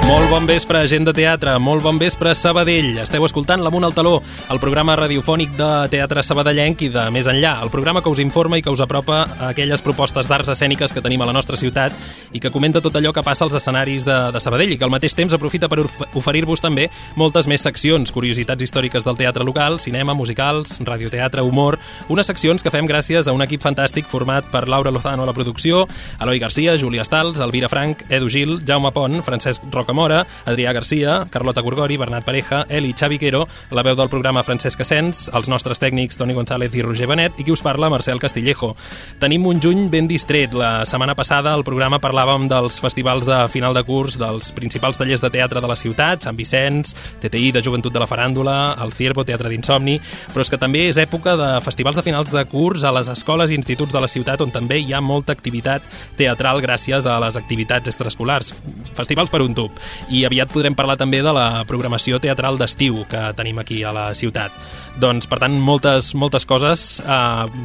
Molt bon vespre, gent de teatre, molt bon vespre, Sabadell. Esteu escoltant l'Amunt al Taló, el programa radiofònic de teatre sabadellenc i de més enllà, el programa que us informa i que us apropa a aquelles propostes d'arts escèniques que tenim a la nostra ciutat i que comenta tot allò que passa als escenaris de Sabadell i que al mateix temps aprofita per oferir-vos també moltes més seccions, curiositats històriques del teatre local, cinema, musicals, radioteatre, humor, unes seccions que fem gràcies a un equip fantàstic format per Laura Lozano a la producció, Eloi Garcia, Júlia Stals, Elvira Frank, Edu Gil, Jaume Pont, Francesc Rocamora, Adrià Garcia, Carlota Gorgori, Bernat Pareja, Eli Xaviquero, la veu del programa Francesc Asens, els nostres tècnics Toni González i Roger Benet i qui us parla, Marcel Castillejo. Tenim un juny ben distret. La setmana passada al programa parlàvem dels festivals de final de curs dels principals tallers de teatre de la ciutat, Sant Vicenç, TTI de Joventut de la Faràndula, el Ciervo, Teatre d'Insomni, però és que també és època de festivals de finals de curs a les escoles i instituts de la ciutat on també hi ha molta activitat teatral gràcies a les activitats extraescolars. Festivals per un tub. I aviat podrem parlar també de la programació teatral d'estiu que tenim aquí a la ciutat. Doncs, per tant, moltes coses,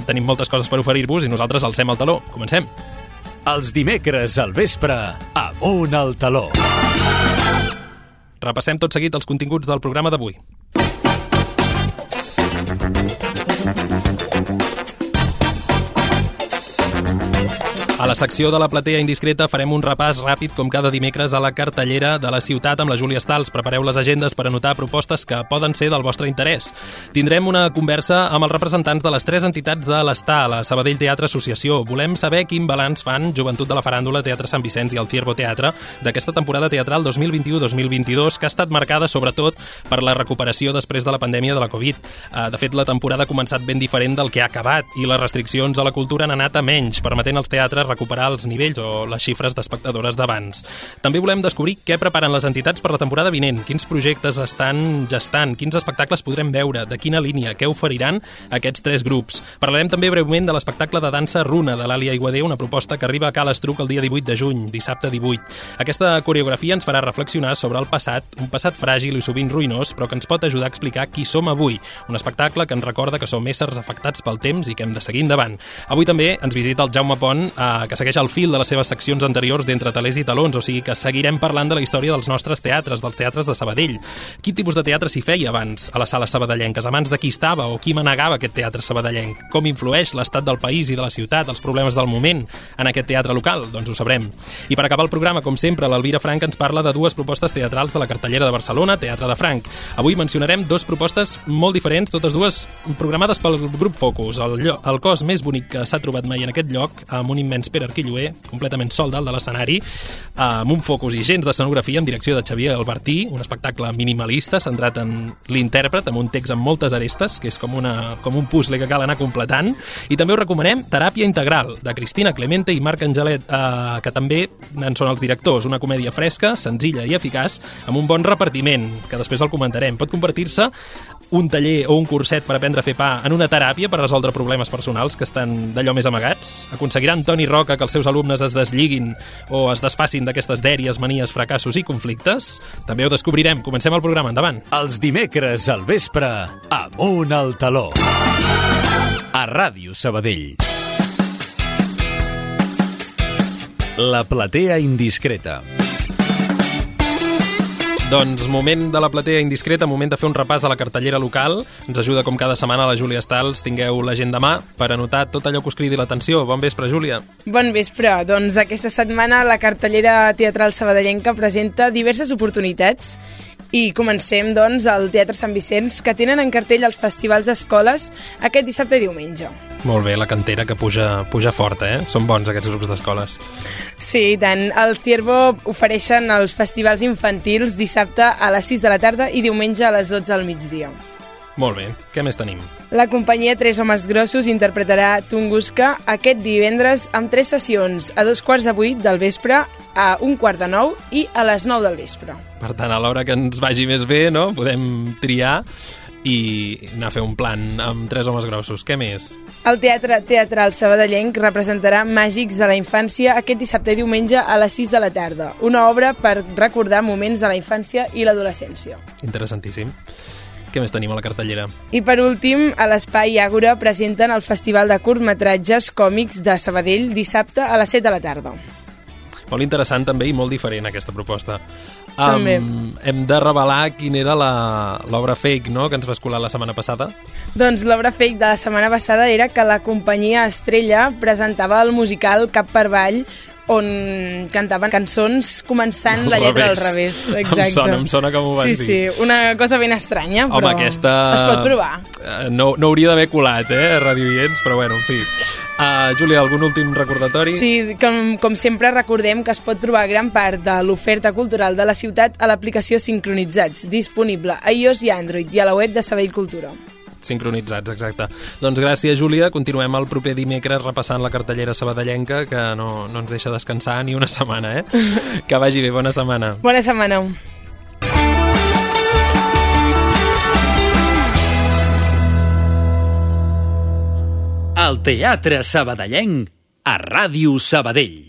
tenim moltes coses per oferir-vos i nosaltres alcem el taló. Comencem. Els dimecres al vespre, Amunt al Taló. Repassem tot seguit els continguts del programa d'avui. A la secció de la platea indiscreta farem un repàs ràpid com cada dimecres a la cartellera de la ciutat amb la Júlia Stals. Prepareu les agendes per anotar propostes que poden ser del vostre interès. Tindrem una conversa amb els representants de les 3 entitats de l'ESTA, la Sabadell Teatre Associació. Volem saber quin balanç fan Joventut de la Faràndula, Teatre Sant Vicenç i el Ciervo Teatre d'aquesta temporada teatral 2021-2022 que ha estat marcada sobretot per la recuperació després de la pandèmia de la Covid. De fet, la temporada ha començat ben diferent del que ha acabat i les restriccions a la cultura han anat a menys, permetent als teatres recuperar els nivells o les xifres d'espectadores d'abans. També volem descobrir què preparen les entitats per la temporada vinent, quins projectes estan gestant, quins espectacles podrem veure, de quina línia, què oferiran aquests 3 grups. Parlarem també breument de l'espectacle de dansa Runa de l'Àlia Aiguader, una proposta que arriba a Cal Estruc el dia 18 de juny, dissabte 18. Aquesta coreografia ens farà reflexionar sobre el passat, un passat fràgil i sovint ruïnós, però que ens pot ajudar a explicar qui som avui. Un espectacle que ens recorda que som éssers afectats pel temps i que hem de seguir endavant. Avui també ens visita el Jaume Pont, que segueix el fil de les seves seccions anteriors d'Entre talers i talons, o sigui que seguirem parlant de la història dels nostres teatres, dels teatres de Sabadell. Quin tipus de teatre s'hi feia abans a les sales sabadellenques? A mans de qui estava o qui manegava aquest teatre sabadellenc? Com influeix l'estat del país i de la ciutat, els problemes del moment en aquest teatre local? Doncs ho sabrem. I per acabar el programa, com sempre, l'Elvira Frank ens parla de 2 propostes teatrals de la cartellera de Barcelona, Teatre de Franc. Avui mencionarem 2 propostes molt diferents, totes dues programades pel grup Focus, el cos més bonic que s'ha trobat mai en aquest lloc, amb un immens Pere Arquilloé, completament sol dalt de l'escenari, amb un focus i gens d'escenografia en direcció de Xavier Albertí, un espectacle minimalista centrat en l'intèrpret, amb un text amb moltes arestes, que és com un puzzle que cal anar completant, i també us recomanem Teràpia Integral, de Cristina Clemente i Marc Angelet, que també en són els directors, una comèdia fresca, senzilla i eficaç, amb un bon repartiment, que després el comentarem. Pot convertir-se un taller o un curset per aprendre a fer pa en una teràpia per resoldre problemes personals que estan d'allò més amagats? Aconseguiran Toni Roca que els seus alumnes es desliguin o es desfacin d'aquestes dèries, manies, fracassos i conflictes? També ho descobrirem. Comencem el programa. Endavant. Els dimecres al vespre, Amunt al Taló. A Ràdio Sabadell. La platea indiscreta. Doncs moment de la platea indiscreta, moment de fer un repàs a la cartellera local. Ens ajuda com cada setmana la Júlia Stals. Tingueu l'agenda a mà per anotar tot allò que us cridi l'atenció. Bon vespre, Júlia. Bon vespre. Doncs aquesta setmana la cartellera teatral sabadellenca presenta diverses oportunitats. I comencem, doncs, al Teatre Sant Vicenç, que tenen en cartell els festivals d'escoles aquest dissabte i diumenge. Molt bé, la cantera que puja forta, eh? Són bons aquests grups d'escoles. Sí, i tant. El Ciervo ofereixen els festivals infantils dissabte a les 6 de la tarda i diumenge a les 12 al migdia. Molt bé. Què més tenim? La companyia Tres Homes Grossos interpretarà Tunguska aquest divendres amb 3 sessions, a 7:15 del vespre, a 8:45 i a les 9 del vespre. Per tant, a l'hora que ens vagi més bé, no? Podem triar i anar a fer un plan amb Tres Homes Grossos. Què més? El Teatre Teatral Sabadellenc representarà Màgics de la Infància aquest dissabte i diumenge a les 6 de la tarda. Una obra per recordar moments de la infància i l'adolescència. Interessantíssim. Què més tenim a la cartellera? I per últim, a l'Espai Àgora presenten el Festival de Curtmetratges Còmics de Sabadell dissabte a les 7 de la tarda. Molt interessant també i molt diferent aquesta proposta. També. Hem de revelar quina era l'obra fake, no?, que ens vas colar la setmana passada. Doncs l'obra fake de la setmana passada era que la companyia Estrella presentava el musical Cap per Avall, on cantaven cançons començant la lletra al revés. Exacte. Em sona que m'ho vas dir. Sí, una cosa ben estranya, però home, aquesta... es pot provar. No hauria d'haver colat, Radio Vients, però bueno, en fi. Júlia, algun últim recordatori? Sí, com sempre recordem que es pot trobar gran part de l'oferta cultural de la ciutat a l'aplicació Sincronitzats, disponible a iOS i Android i a la web de Sabadell Cultura. Sincronitzats, exacte. Doncs gràcies, Júlia. Continuem el proper dimecres repassant la cartellera sabadellenca, que no ens deixa descansar ni una setmana, Que vagi bé, bona setmana. Bona setmana. El Teatre Sabadellenc a Ràdio Sabadell.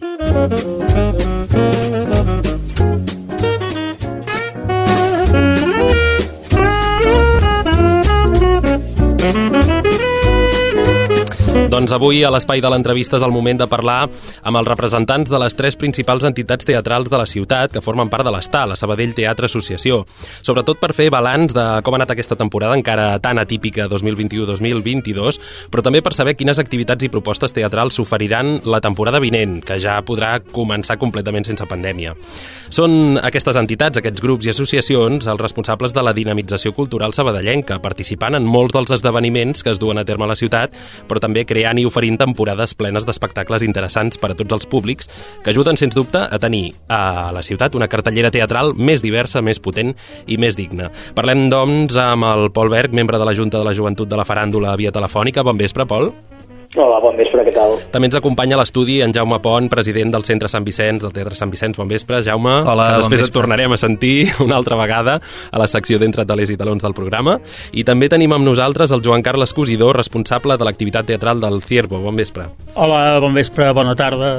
Doncs avui a l'Espai de l'Entrevista és el moment de parlar amb els representants de les 3 principals entitats teatrals de la ciutat que formen part de l'ESTA, la Sabadell Teatre Associació. Sobretot per fer balanç de com ha anat aquesta temporada encara tan atípica 2021-2022, però també per saber quines activitats i propostes teatrals s'oferiran la temporada vinent, que ja podrà començar completament sense pandèmia. Són aquestes entitats, aquests grups i associacions, els responsables de la dinamització cultural sabadellenca, participant en molts dels esdeveniments que es duen a terme a la ciutat, però també creant i oferint temporades plenes d'espectacles interessants per a tots els públics que ajuden, sens dubte, a tenir a la ciutat una cartellera teatral més diversa, més potent i més digna. Parlem, doncs, amb el Pol Berg, membre de la Junta de la Joventut de la Faràndula via telefònica. Bon vespre, Pol. Hola, bon vespre, què tal? També ens acompanya a l'estudi en Jaume Pont, president del Centre Sant Vicenç, del Teatre Sant Vicenç. Bon vespre, Jaume. Hola, que després bon vespre. et tornarem a sentir una altra vegada a la secció d'Entre talers i talons del programa. I també tenim amb nosaltres el Joan Carles Cosidor, responsable de l'activitat teatral del Ciervo. Bon vespre. Hola, bon vespre, bona tarda.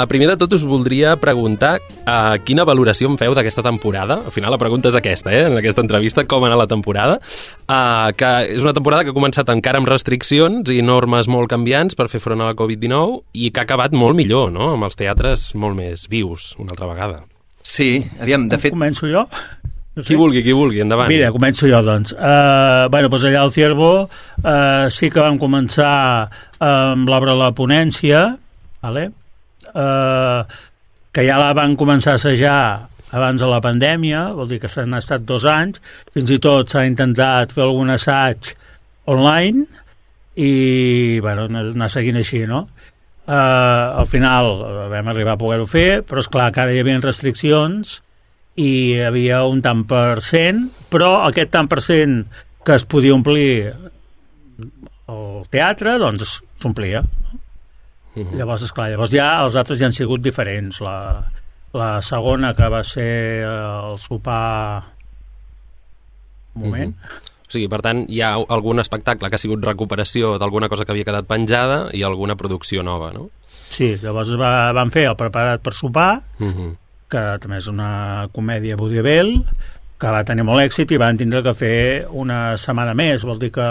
Primer de tot us voldria preguntar quina valoració en feu d'aquesta temporada. Al final la pregunta és aquesta, en aquesta entrevista, com ha anat la temporada, que és una temporada que ha començat encara amb restriccions i normes molt canviants per fer front a la Covid-19 i que ha acabat molt millor, no?, amb els teatres molt més vius, una altra vegada. Sí, aviam, de fet... Començo jo? No sé. Qui vulgui, endavant. Mira, començo jo, doncs. Doncs allà al Ciervo sí que vam començar amb l'obra La Ponència, vale? Que ja la van començar a assajar abans de la pandèmia, vol dir que s'han estat 2 anys, fins i tot s'ha intentat fer algun assaig online i, bueno, anar seguint així, no? Al final vam arribar a poder-ho fer, però esclar que ara hi havia restriccions i hi havia un tant per cent, però aquest tant per cent que es podia omplir el teatre, doncs s'omplia. Llavors, esclar, ja els altres ja han sigut diferents. La segona, que va ser el sopar... Un moment. O sigui, per tant, hi ha algun espectacle que ha sigut recuperació d'alguna cosa que havia quedat penjada i alguna producció nova, no? Sí, llavors van fer el Preparat per sopar, que també és una comèdia vaudeville, que va tenir molt èxit i van tindre que fer una setmana més. Vol dir que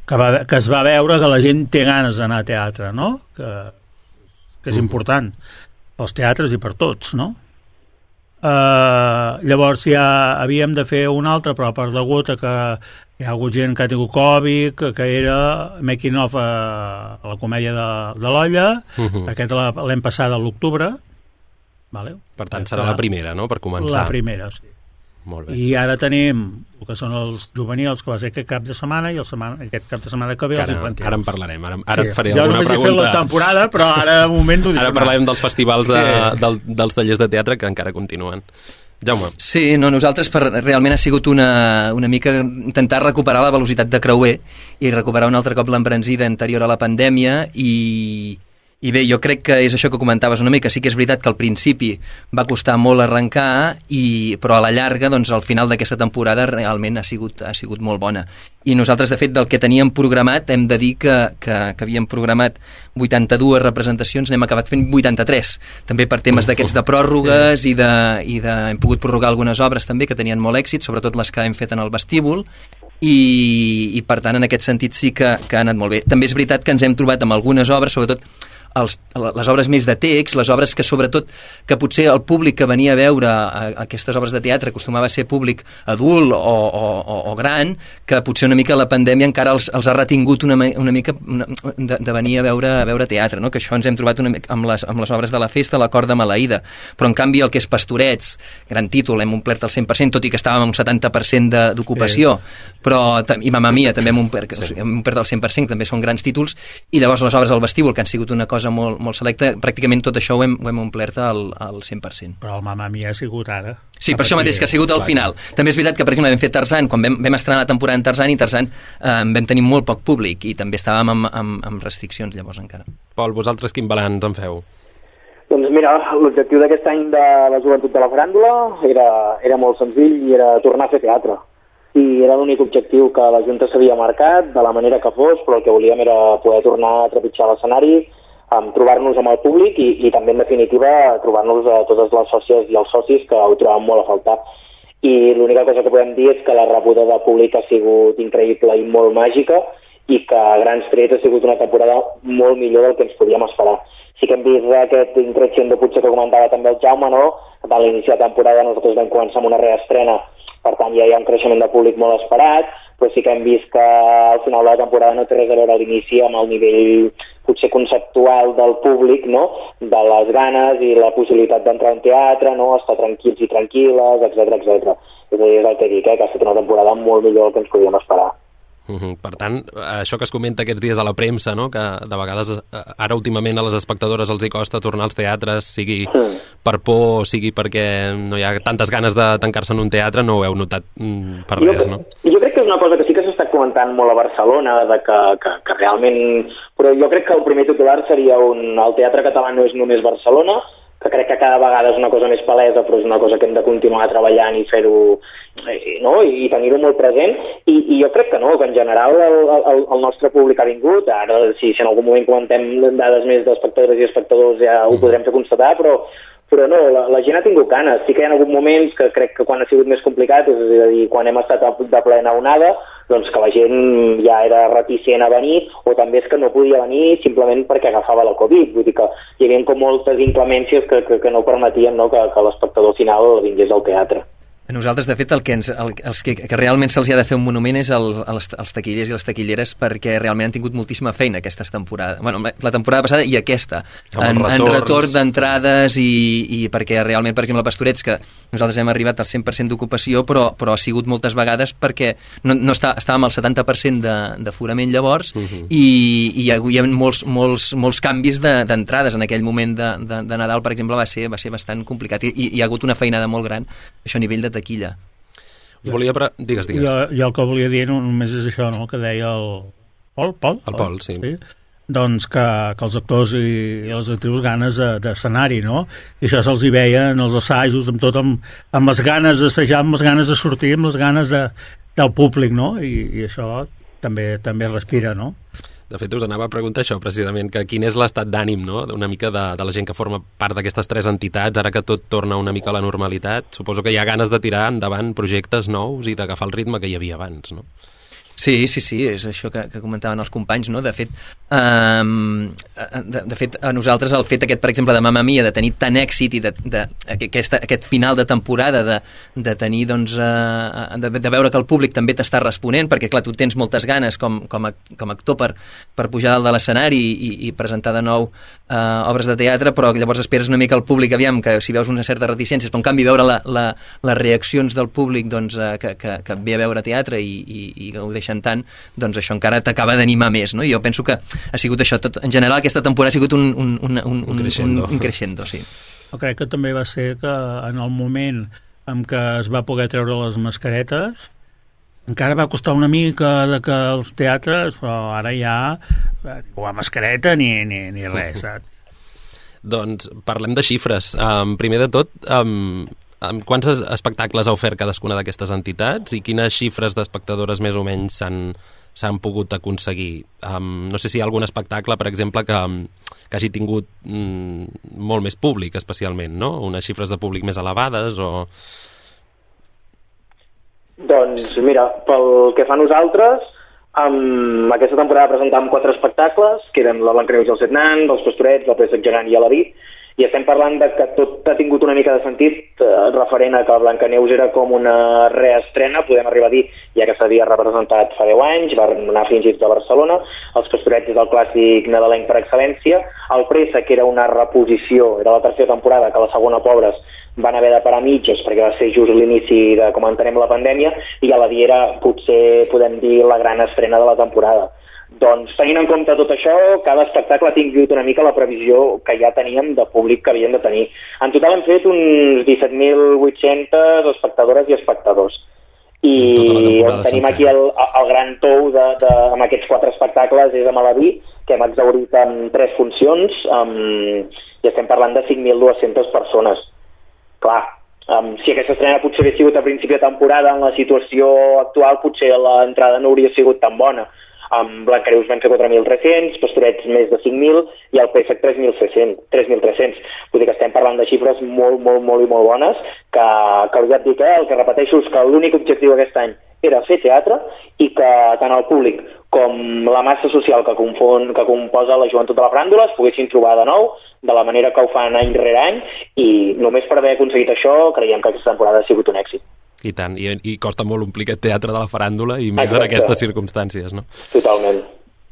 es va veure que la gent té ganes d'anar a teatre, no? Que és important pels teatres i per tots, no? Llavors ja havíem de fer una altra, però per degut a que hi ha hagut gent que ha tingut Covid, que era making of a la comèdia de l'Olla, aquesta l'hem passada a l'octubre, vale? Per tant, serà la primera, no?, per començar. La primera, sí. Molt bé. I ara tenim el que són els juvenils, que va ser aquest cap de setmana, i aquest cap de setmana que ve els infantils. Ara en parlarem, ara et faré alguna pregunta. Jo només he fet la temporada, però ara de moment ho ara parlarem dels festivals dels tallers de teatre que encara continuen. Jaume. Sí, no, nosaltres realment ha sigut una mica intentar recuperar la velocitat de creuer i recuperar un altre cop l'embranzida anterior a la pandèmia i bé, jo crec que és això que comentaves una mica. Sí que és veritat que al principi va costar molt arrencar, però a la llarga, doncs, al final d'aquesta temporada realment ha sigut molt bona. I nosaltres, de fet, del que teníem programat, hem de dir que havíem programat 82 representacions, n'hem acabat fent 83. També per temes d'aquests de pròrrogues i hem pogut prorrogar algunes obres també que tenien molt èxit, sobretot les que hem fet en el vestíbul, i per tant, en aquest sentit sí que ha anat molt bé. També és veritat que ens hem trobat amb algunes obres, sobretot les obres més de text, les obres que sobretot, que potser el públic que venia a veure aquestes obres de teatre acostumava a ser públic adult o gran, que potser una mica la pandèmia encara els ha retingut una mica de venir a veure teatre, no? Que això ens hem trobat una mica amb les obres de la festa, la Cort de Maleïda, però en canvi el que és Pastorets, gran títol, hem omplert el 100%, tot i que estàvem amb un 70% d'ocupació, però, i Mamma Mia també hem omplert el 100%, també són grans títols, i llavors les obres del vestíbul, que han sigut una cosa molt selecta, pràcticament tot això ho hem omplert al 100%. Però el Mamma Mia ha sigut ara. Sí, per això mateix, que ha sigut al final. També és veritat que, per exemple, vam fer Tarzan, quan vam estrenar la temporada en Tarzan, i Tarzan vam tenir molt poc públic, i també estàvem amb restriccions llavors encara. Pol, vosaltres quin balanç en feu? Doncs mira, l'objectiu d'aquest any de la joventut de la faràndula era molt senzill i era tornar a fer teatre. I era l'únic objectiu que la Junta s'havia marcat, de la manera que fos, però el que volíem era poder tornar a trepitjar l'escenari, trobar-nos amb el públic i també, en definitiva, trobar-nos a totes les sòcies i els socis que ho trobàvem molt a faltar. I l'única cosa que podem dir és que la rebuda del públic ha sigut increïble i molt màgica i que a grans trets ha sigut una temporada molt millor del que ens podíem esperar. Sí que hem vist aquest increixendo potser que comentava també el Jaume, no? A l'inici de temporada nosaltres vam començar amb una reestrena, per tant ja hi ha un creixement de públic molt esperat, però sí que hem vist que al final de la temporada no té res a veure a l'inici amb el nivell potser conceptual del públic, no? De les ganes i la possibilitat d'entrar en teatre, no? Estar tranquils i tranquil·les, etc. És a dir, és el que dic, que ha estat una temporada molt millor del que ens podíem esperar. Per tant, això que es comenta aquests dies a la premsa, no? Que de vegades ara últimament a les espectadores els hi costa tornar als teatres, sigui per por, sigui perquè no hi ha tantes ganes de tancar-se en un teatre, no ho heu notat per res, no? Jo crec que és una cosa que sí que s'està comentant molt a Barcelona, de que realment... Però jo crec que el primer titular seria el teatre català no és només Barcelona, que crec que cada vegada és una cosa més palesa, però és una cosa que hem de continuar treballant i fer-ho, no? I tenir-ho molt present, i jo crec que no, que en general el nostre públic ha vingut. Ara, si en algun moment comentem dades més d'espectadores i espectadors ja ho podrem fer constatar, però no, la gent ha tingut ganes. Sí que hi ha hagut moments que crec que quan ha sigut més complicat, és a dir, quan hem estat de plena onada, doncs que la gent ja era reticent a venir, o també és que no podia venir simplement perquè agafava la Covid. Vull dir que hi havia com moltes inclemències que no permetien, no, que l'espectador final vingués al teatre. A nosaltres, de fet, el que realment se'ls ha de fer un monument és als taquillers i les taquilleres, perquè realment han tingut moltíssima feina aquestes temporades. Bueno, la temporada passada i aquesta, en retorn d'entrades i perquè realment, per exemple, a Pastorets, que nosaltres hem arribat al 100% d'ocupació, però ha sigut moltes vegades perquè no estàvem al 70% d'aforament llavors i hi ha molts canvis d'entrades en aquell moment de Nadal, per exemple, va ser bastant complicat i hi ha hagut una feinada molt gran, això a nivell de taquilla. Us volia... Digues. Jo el que volia dir només és això, no?, que deia el Pol. El Pol, sí. Doncs que els actors i les actrius ganes d'escenari, no? I això se'ls hi veia en els assajos, amb les ganes d'assajar, amb les ganes de sortir, amb les ganes del públic, no? I això també respira, no? De fet, us anava a preguntar això, precisament, que quin és l'estat d'ànim, no?, una mica de la gent que forma part d'aquestes tres entitats, ara que tot torna una mica a la normalitat. Suposo que hi ha ganes de tirar endavant projectes nous i d'agafar el ritme que hi havia abans, no? Sí, és això que comentaven els companys, no? De fet, a nosaltres el fet aquest, per exemple, de Mamma Mia, de tenir tant èxit i aquest final de temporada de tenir, doncs, de veure que el públic també t'està responent, perquè, clar, tu tens moltes ganes com a actor per pujar dalt de l'escenari i presentar de nou obres de teatre, però llavors esperes una mica el públic, aviam, que si veus una certa reticència, però en canvi veure les reaccions del públic, doncs, que ve a veure teatre i que ho deixen tant, doncs això encara t'acaba d'animar més, no? I jo penso que ha sigut això, tot, en general aquesta temporada ha sigut un crescendo, sí. Jo crec que també va ser que en el moment en què es va poder treure les mascaretes encara va costar una mica que els teatres, però ara ja o a mascareta ni res, saps? Doncs parlem de xifres. Primer de tot, quants espectacles ha ofert cadascuna d'aquestes entitats i quines xifres d'espectadores més o menys s'han pogut aconseguir? No sé si hi ha algun espectacle, per exemple, que hagi tingut molt més públic, especialment, no? Unes xifres de públic més elevades o... Doncs mira, pel que fa a nosaltres, Aquesta temporada presentàvem 4 espectacles, que eren la Blancaneus i els 7 nans, els Pastorets, el Préssec gegant i l'Aladí, i estem parlant de que tot ha tingut una mica de sentit referent a que Blancaneus era com una reestrena, podem arribar a dir, ja que s'havia representat fa 10 anys, va anar fins a Barcelona, els Pastorets és el clàssic nadalenc per excel·lència, el Préssec era una reposició, era la tercera temporada, que la segona, pobres, van haver de parar mitges perquè va ser just l'inici de com entenem la pandèmia, i a la dia era, potser podem dir, la gran estrena de la temporada. Doncs tenint en compte tot això, cada espectacle ha tingut una mica la previsió que ja teníem de públic que havien de tenir. En total hem fet uns 17.800 espectadores i espectadors. I on tenim aquí el gran tou amb aquests 4 espectacles és a Malaví, que hem exhaurit en 3 funcions, i estem parlant de 5.200 persones. Clar, si aquesta estrena potser hagués sigut a principi de temporada, en la situació actual potser l'entrada no hauria sigut tan bona. Blancaneus van ser 4.300, Pastorets més de 5.000 i el Préssec 3.300. Vull dir que estem parlant de xifres molt bones, que ja et dic, el que repeteixo és que l'únic objectiu aquest any era fer teatre i que tant el públic com la massa social que composa la joventut de la Faràndula es poguessin trobar de nou de la manera que ho fan any rere any, i només per haver aconseguit això creiem que aquesta temporada ha sigut un èxit. I tant, i costa molt omplir aquest teatre de la faràndula i més en aquestes circumstàncies, no? Totalment.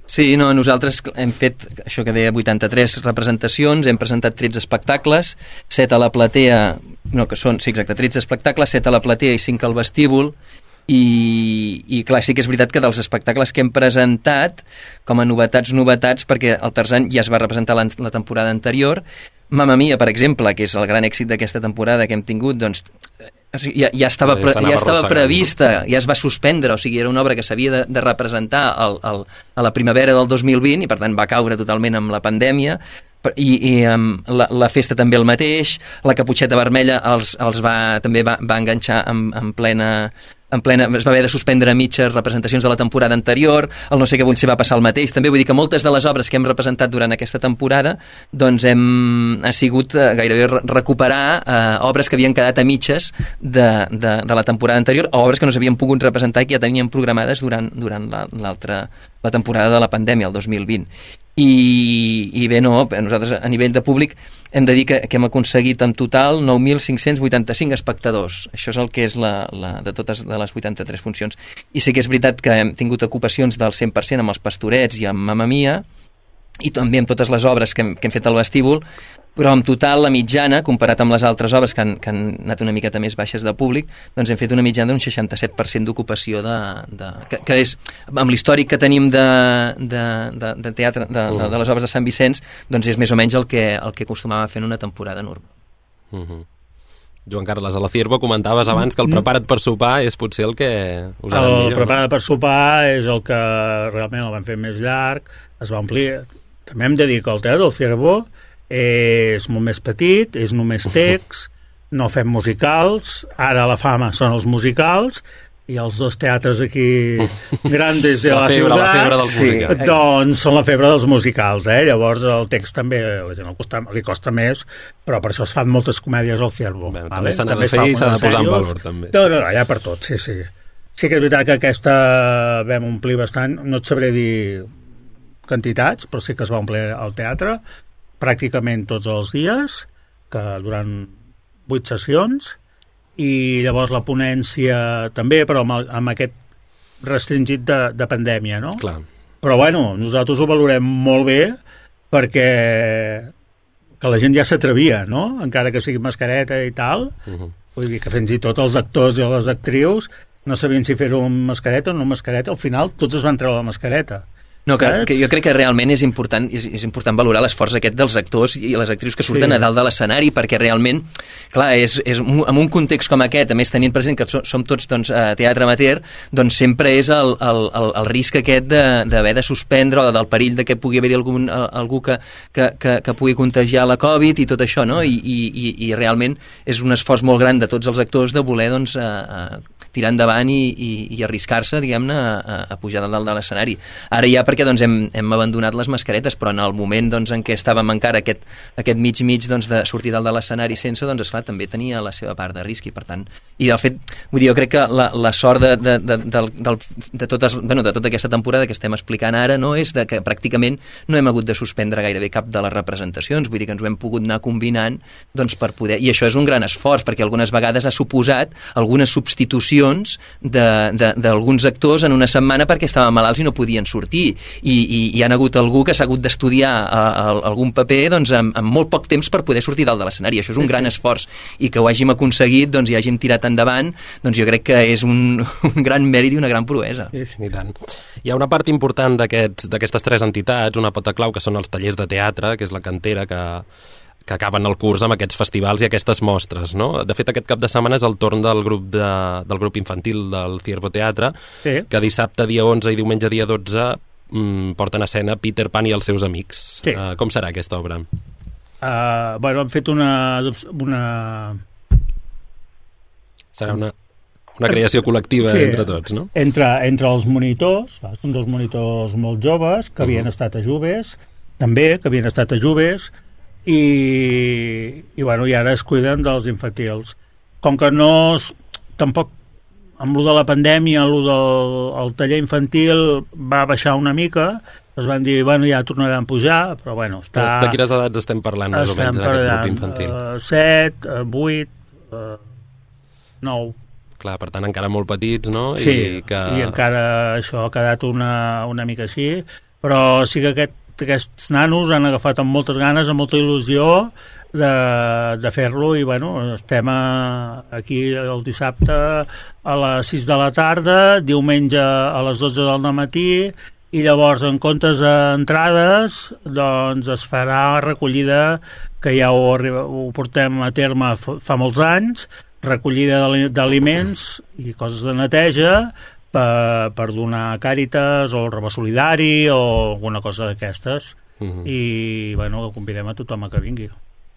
Sí, no, nosaltres hem fet, això que deia, 83 representacions, hem presentat 13 espectacles, 7 a la platea, no, que són, sí, exacte, 13 espectacles, 7 a la platea i 5 al vestíbul, i clar, sí que és veritat que dels espectacles que hem presentat, com a novetats, perquè el Tarzan ja es va representar la temporada anterior, Mamma Mia, per exemple, que és el gran èxit d'aquesta temporada que hem tingut, doncs ja estava prevista, ja es va suspendre, o sigui, era una obra que s'havia de representar a la primavera del 2020 i per tant va caure totalment amb la pandèmia, i la festa també el mateix, la Caputxeta Vermella també va enganxar en plena es va haver de suspendre a mitges representacions de la temporada anterior, el No sé què vull ser va passar el mateix, també vull dir que moltes de les obres que hem representat durant aquesta temporada doncs ha sigut gairebé recuperar obres que havien quedat a mitges de la temporada anterior, o obres que no s'havien pogut representar i que ja teníem programades durant la temporada de la pandèmia, el 2020. I bé, no, nosaltres a nivell de públic hem de dir que hem aconseguit en total 9.585 espectadors. Això és el que és de totes de les 83 funcions. I sí que és veritat que hem tingut ocupacions del 100% amb els Pastorets i amb Mamma Mia, i també amb totes les obres que hem fet al vestíbul, però en total la mitjana, comparat amb les altres obres que han anat una miqueta més baixes de públic, doncs hem fet una mitjana d'un 67% d'ocupació que és, amb l'històric que tenim de teatre, de les obres de Sant Vicenç, doncs és més o menys el que acostumava a fer en una temporada normal. Joan Carles, a la Ciervo comentaves abans que el prepara't per sopar és potser el que us ha millor. El prepara't per sopar és el que realment el van fer més llarg, es va omplir. També hem de dir que el teatre del Ciervo és molt més petit, és només text, no fem musicals, ara la fama són els musicals, i els 2 teatres aquí grandes de la ciutat, la febre dels musicals. Doncs són la febre dels musicals, llavors el text també a la gent li costa més, però per això es fan moltes comèdies al Ciervo. També s'ha de fer i s'ha de posar en valor, també. No, ja per tot, sí. Sí que és veritat que aquesta vam omplir bastant, no et sabré dir quantitats, però sí que es va omplir el teatre pràcticament tots els dies, que durant 8 sessions, i llavors la ponència també, però amb aquest restringit de pandèmia, no? Clar. Però bueno, nosaltres ho valorem molt bé perquè que la gent ja s'atrevia, no? Encara que sigui mascareta i tal, vull dir que fins i tot els actors i les actrius no sabien si fer-ho amb mascareta o no amb mascareta, al final tots es van treure la mascareta. No, que jo crec que realment és important valorar l'esforç aquest dels actors i les actrius que surten a dalt de l'escenari, perquè realment, clar, és en un context com aquest, a més tenint present que som tots teatre amateur, doncs sempre és el risc aquest d'haver de suspendre o del perill de que pugui haver-hi algú que pugui contagiar la Covid i tot això, no? I realment és un esforç molt gran de tots els actors de voler tirar endavant i arriscar-se, diguem-ne, a pujar de dalt de l'escenari. Ara ja, per perquè doncs, hem abandonat les mascaretes, però en el moment doncs, en què estàvem encara aquest mig doncs, de sortir dalt de l'escenari sense, doncs esclar, també tenia la seva part de risc, i per tant, i de fet, vull dir, jo crec que la sort de tota aquesta temporada que estem explicant ara, no, és que pràcticament no hem hagut de suspendre gairebé cap de les representacions, vull dir que ens ho hem pogut anar combinant doncs, per poder, i això és un gran esforç, perquè algunes vegades ha suposat algunes substitucions d'alguns actors en una setmana perquè estaven malalts i no podien sortir, i hi ha hagut algú que s'ha hagut d'estudiar algun paper doncs, amb molt poc temps per poder sortir dalt de l'escenari. Això és un gran esforç, i que ho hàgim aconseguit doncs, i hàgim tirat endavant, doncs jo crec que és un gran mèrit i una gran proesa. I tant. Hi ha una part important d'aquestes tres entitats, una pota clau, que són els tallers de teatre, que és la cantera que acaben el curs amb aquests festivals i aquestes mostres, no? De fet, aquest cap de setmana és el torn del grup infantil del Ciervo Teatre, que dissabte dia 11 i diumenge dia 12 porten a escena Peter Pan i els seus amics. Com serà aquesta obra? Hem fet una... Serà una creació col·lectiva entre tots, no? Entre els monitors, són dos monitors molt joves que havien estat a Juves, també, que havien estat a Juves, i ara es cuiden dels infantils. Com que tampoc amb lo de la pandèmia, el taller infantil va baixar una mica, es van dir, ja tornaran a pujar, però està... De quines edats estem parlant, més o menys, en aquest grup infantil? 7, 8, 9... Clar, per tant, encara molt petits, no? Sí, i encara això ha quedat una mica així, però sí que aquests nanos han agafat amb moltes ganes, amb molta il·lusió de fer-lo, i estem aquí el dissabte a les 6 de la tarda, diumenge a les 12 del matí, i llavors en comptes d'entrades doncs es farà recollida, que ja ho portem a terme fa molts anys, recollida d'aliments i coses de neteja per donar a Càritas o el Rebó Solidari o alguna cosa d'aquestes. I convidem a tothom a que vingui.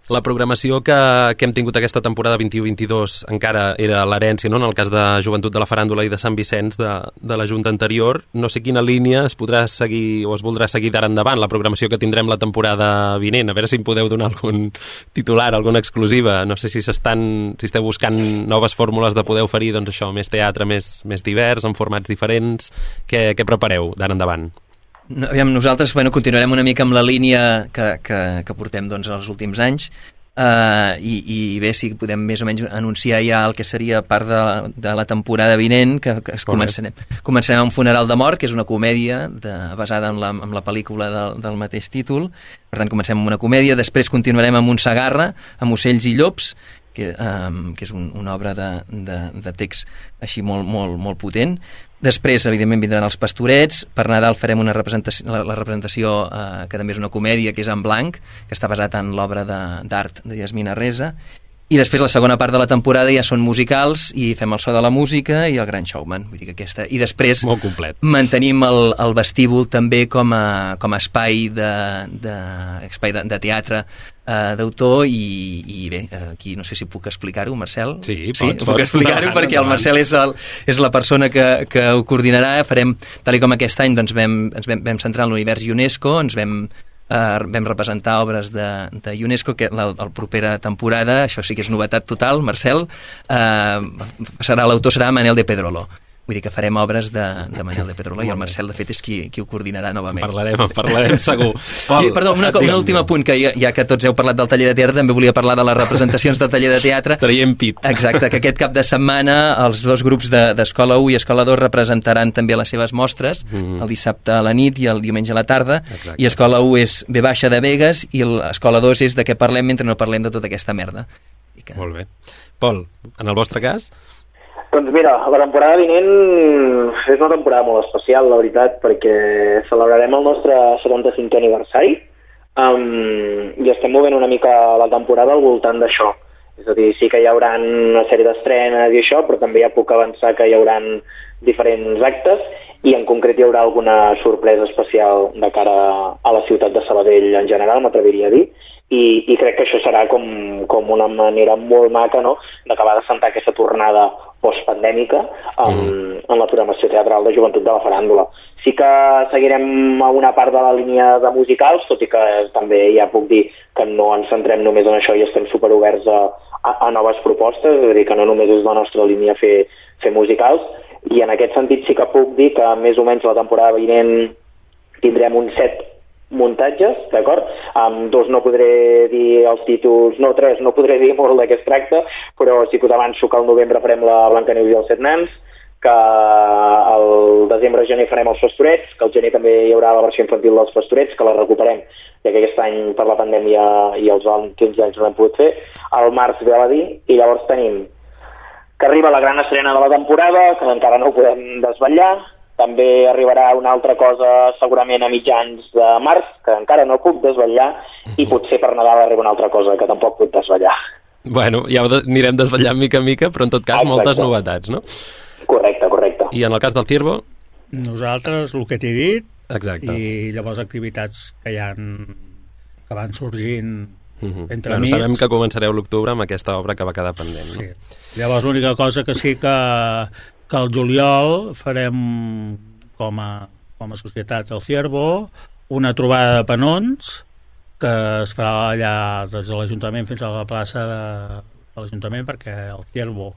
La programació que hem tingut aquesta temporada 21-22 encara era l'herència, no? En el cas de Joventut de la Faràndula i de Sant Vicenç de la Junta anterior. No sé quina línia es podrà seguir o es voldrà seguir d'ara endavant, la programació que tindrem la temporada vinent. A veure si em podeu donar algun titular, alguna exclusiva. No sé si esteu buscant noves fórmules de poder oferir més teatre, més divers, en formats diferents. Què prepareu d'ara endavant? Nosaltres continuarem una mica amb la línia que portem els últims anys, i bé, si podem més o menys anunciar ja el que seria part de la temporada vinent, que començarem amb Funeral de Mort, que és una comèdia basada en la pel·lícula del mateix títol. Per tant, comencem amb una comèdia, després continuarem amb un Segarra, amb Ocells i Llops, que és una obra de text així molt potent. Després, evidentment, vindran els Pastorets. Per Nadal farem la representació, que també és una comèdia, que és En Blanc, que està basat en l'obra d'art de Yasmina Reza. I després la segona part de la temporada ja són musicals, i fem El so de la música i El gran showman. Vull dir que aquesta... I després molt complet. Mantenim el vestíbul també com a espai de teatre d'autor, i bé, aquí no sé si puc explicar-ho, Marcel. Sí, puc explicar-ho, perquè el Marcel és la persona que ho coordinarà. Farem, tal com aquest any ens vam centrar en l'univers UNESCO, ens vam representar obres de UNESCO, que la propera temporada, això sí que és novetat total, Marcel, l'autor serà Manel de Pedrolo. Vull dir que farem obres de Manel de Pedrolo, i el Marcel, de fet, és qui ho coordinarà novament. En parlarem segur. Perdó, un últim apunt, que ja que tots heu parlat del taller de teatre, també volia parlar de les representacions del taller de teatre. Traiem pit. Exacte, que aquest cap de setmana els dos grups d'Escola 1 i Escola 2 representaran també les seves mostres, el dissabte a la nit i el diumenge a la tarda. Exacte. I Escola 1 és V baixa de Begues, i l'Escola 2 és de què parlem mentre no parlem de tota aquesta merda. Molt bé. Pol, en el vostre cas? Doncs mira, la temporada vinent és una temporada molt especial, la veritat, perquè celebrarem el nostre 75è aniversari, i estem movent una mica la temporada al voltant d'això. És a dir, sí que hi haurà una sèrie d'estrenes i això, però també ja puc avançar que hi haurà diferents actes, i en concret hi haurà alguna sorpresa especial de cara a la ciutat de Sabadell en general, m'atreviria a dir, i crec que això serà com una manera molt maca, no?, d'acabar de sentar aquesta tornada postpandèmica en la programació teatral de Joventut de la Faràndula. Sí que seguirem a una part de la línia de musicals, tot i que també ja puc dir que no ens centrem només en això i estem superoberts a noves propostes, és a dir, que no només és la nostra línia fer musicals, i en aquest sentit sí que puc dir que més o menys la temporada vinent tindrem uns 7 muntatges, d'acord? Amb 2 no podré dir els títols, no 3, no podré dir molt de què es tracta, però sí que us avanço que al novembre farem la Blancaneus i els 7 nans, que al desembre-gener farem els Pastorets, que al gener també hi haurà la versió infantil dels Pastorets, que la recuperem, ja que aquest any per la pandèmia i els últims anys no l'hem pogut fer. Al març ve Aladí, i llavors tenim que arriba la gran estrena de la temporada, que encara no ho podem desvetllar. També arribarà una altra cosa segurament a mitjans de març, que encara no puc desvetllar, i potser per Nadal arriba una altra cosa que tampoc puc desvetllar. Bueno, ja ho anirem desvetllant mica en mica, però en tot cas moltes novetats, no? Correcte. I en el cas del Ciervo? Nosaltres, el que t'he dit, exacte. I llavors activitats que van sorgint entre amics. Sabem que començareu l'octubre amb aquesta obra que va quedar pendent, no? Sí. Llavors l'única cosa que sí que al juliol farem com a societat El Ciervo una trobada de penons que es farà allà des de l'Ajuntament fins a la plaça de l'Ajuntament, perquè El Ciervo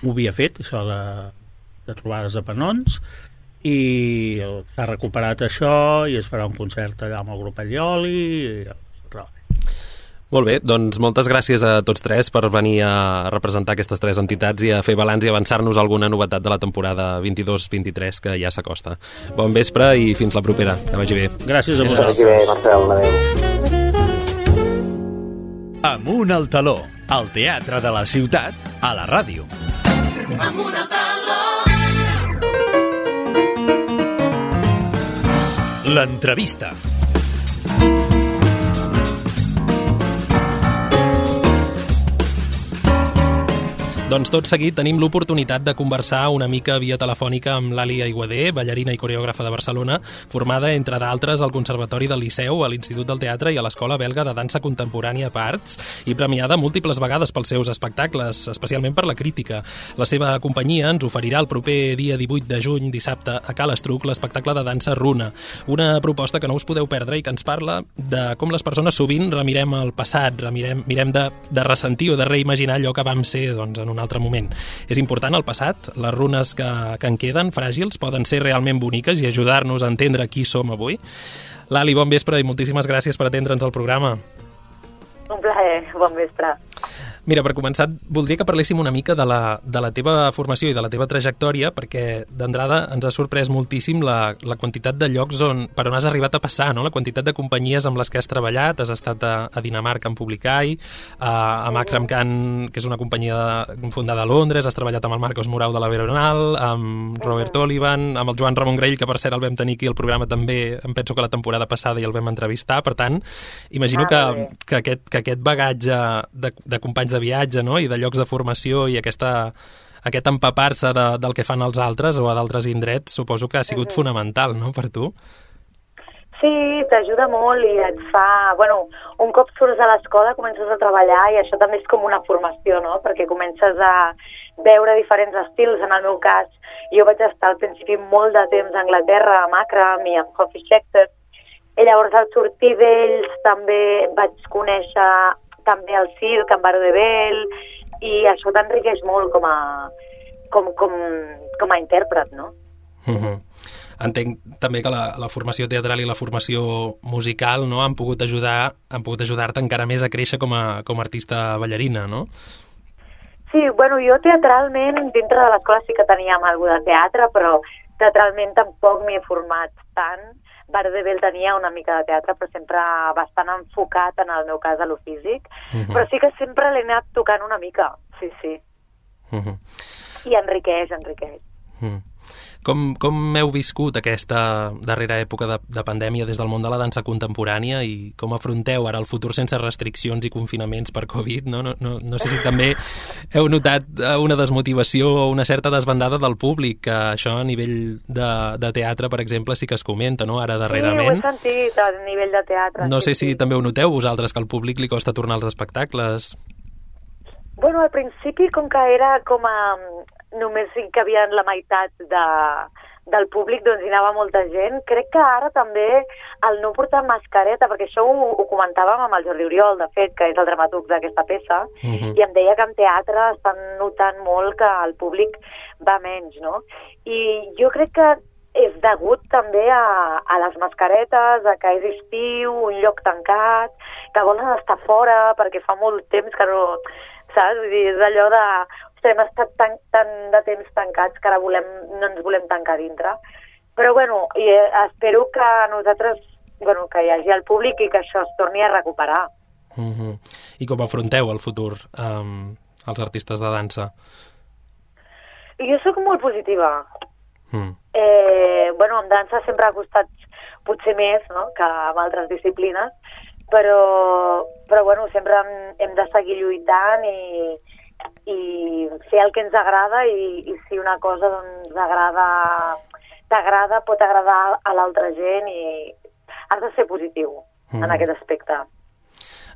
m'ho havia fet, això de trobades de penons, i s'ha recuperat això i es farà un concert allà amb el grup Allioli. Molt bé, doncs moltes gràcies a tots tres per venir a representar aquestes 3 entitats i a fer balanç i avançar-nos alguna novetat de la temporada 22-23 que ja s'acosta. Bon vespre i fins la propera. Que vagi bé. Gràcies a vosaltres. Que vagi bé, Marcel. Adéu. Amunt al taló, al teatre de la ciutat, a la ràdio. Amunt al taló. L'entrevista. Doncs tot seguit tenim l'oportunitat de conversar una mica via telefònica amb l'Ali Aiguader, ballarina i coreògrafa de Barcelona, formada, entre d'altres, al Conservatori del Liceu, a l'Institut del Teatre i a l'Escola Belga de Dansa Contemporània Parts, i premiada múltiples vegades pels seus espectacles, especialment per la crítica. La seva companyia ens oferirà el proper dia 18 de juny, dissabte, a Cal Estruc, l'espectacle de dansa Runa, una proposta que no us podeu perdre i que ens parla de com les persones sovint remirem el passat, mirem de ressentir o de reimaginar allò que vam ser, doncs, en un altre moment. És important el passat, les runes que en queden, fràgils, poden ser realment boniques i ajudar-nos a entendre qui som avui. Lali, bon vespre i moltíssimes gràcies per atendre'ns al programa. Un plaer, bon vespre. Mira, per començar, voldria que parléssim una mica de la teva formació i de la teva trajectòria, perquè d'entrada ens ha sorprès moltíssim la quantitat de llocs per on has arribat a passar, no? La quantitat de companyies amb les que has treballat. Has estat a Dinamarca amb Publicai, a Makram Khan, que és una companyia fundada a Londres, has treballat amb el Marcos Morau de la Veronal, amb Robert Olivan, amb el Joan Ramon Grell, que per cert el vam tenir aquí al programa també, em penso que la temporada passada i el vam entrevistar. Per tant, imagino que aquest bagatge de companys de viatge, no? I de llocs de formació i aquest empapar-se del que fan els altres o a d'altres indrets, suposo que ha sigut fonamental, no?, per tu. Sí, t'ajuda molt i et fa... Bueno, un cop surts a l'escola comences a treballar i això també és com una formació, no?, perquè comences a veure diferents estils. En el meu cas, jo vaig estar al principi molt de temps a Anglaterra, a Makram i amb Hoffy Schechter, i llavors al sortir d'ells també vaig conèixer també el circ, en Baró de Bell, i això t'enriqueix molt com a intèrpret, no? Entenc també que la formació teatral i la formació musical, no, han pogut ajudar-te encara més a créixer com a artista ballarina, no? Sí, bueno, jo teatralment, dintre de l'escola sí que teníem alguna de teatre, però teatralment tampoc m'hi he format tant. Baró de Bell tenia una mica de teatre, però sempre bastant enfocat, en el meu cas, a lo físic. Però sí que sempre l'he anat tocant una mica, sí. I enriqueix. Com heu viscut aquesta darrera època de pandèmia des del món de la dansa contemporània i com afronteu ara el futur sense restriccions i confinaments per Covid? No sé si també heu notat una desmotivació o una certa desbandada del públic, que això a nivell de teatre, per exemple, sí que es comenta, no?, ara darrerament. Sí, ho he sentit a nivell de teatre. No sé si també ho noteu vosaltres, que al públic li costa tornar als espectacles. Bueno, al principi, com que era només hi cabia la meitat del públic, doncs hi anava molta gent. Crec que ara també el no portar mascareta, perquè això ho comentàvem amb el Jordi Oriol, de fet, que és el dramaturg d'aquesta peça, i em deia que en teatre estan notant molt que el públic va menys, no? I jo crec que és degut també a les mascaretes, a que és estiu, un lloc tancat, que volen estar fora perquè fa molt temps que no... Saps? Vull dir, és allò de... Ostres, hem estat tant de temps tancats que ara no ens volem tancar dintre. Però, bueno, espero que nosaltres... Bueno, que hi hagi el públic i que això es torni a recuperar. I com afronteu el futur, els artistes de dansa? Jo sóc molt positiva. Bueno, amb dansa sempre ha costat potser més, no?, que amb altres disciplines, però bueno, sempre hem de seguir lluitant i fer el que ens agrada i si una cosa doncs t'agrada, pot agradar a l'altra gent i has de ser positiu en aquest aspecte.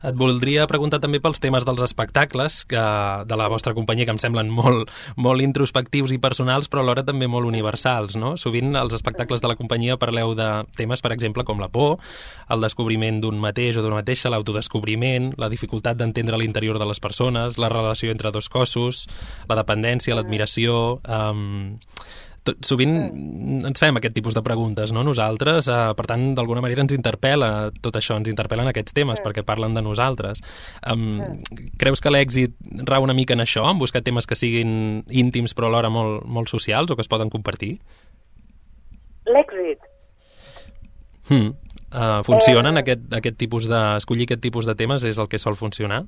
Et voldria preguntar també pels temes dels espectacles de la vostra companyia, que em semblen molt introspectius i personals, però alhora també molt universals, no? Sovint als espectacles de la companyia parleu de temes, per exemple, com la por, el descobriment d'un mateix o d'una mateixa, l'autodescobriment, la dificultat d'entendre l'interior de les persones, la relació entre dos cossos, la dependència, l'admiració... Sovint ens fem aquest tipus de preguntes, no?, nosaltres, per tant, d'alguna manera ens interpel·la tot això, ens interpel·len aquests temes perquè parlen de nosaltres. Creus que l'èxit rau una mica en això, en buscar temes que siguin íntims però alhora molt socials o que es poden compartir? L'èxit? Funcionen aquest tipus escollir aquest tipus de temes és el que sol funcionar?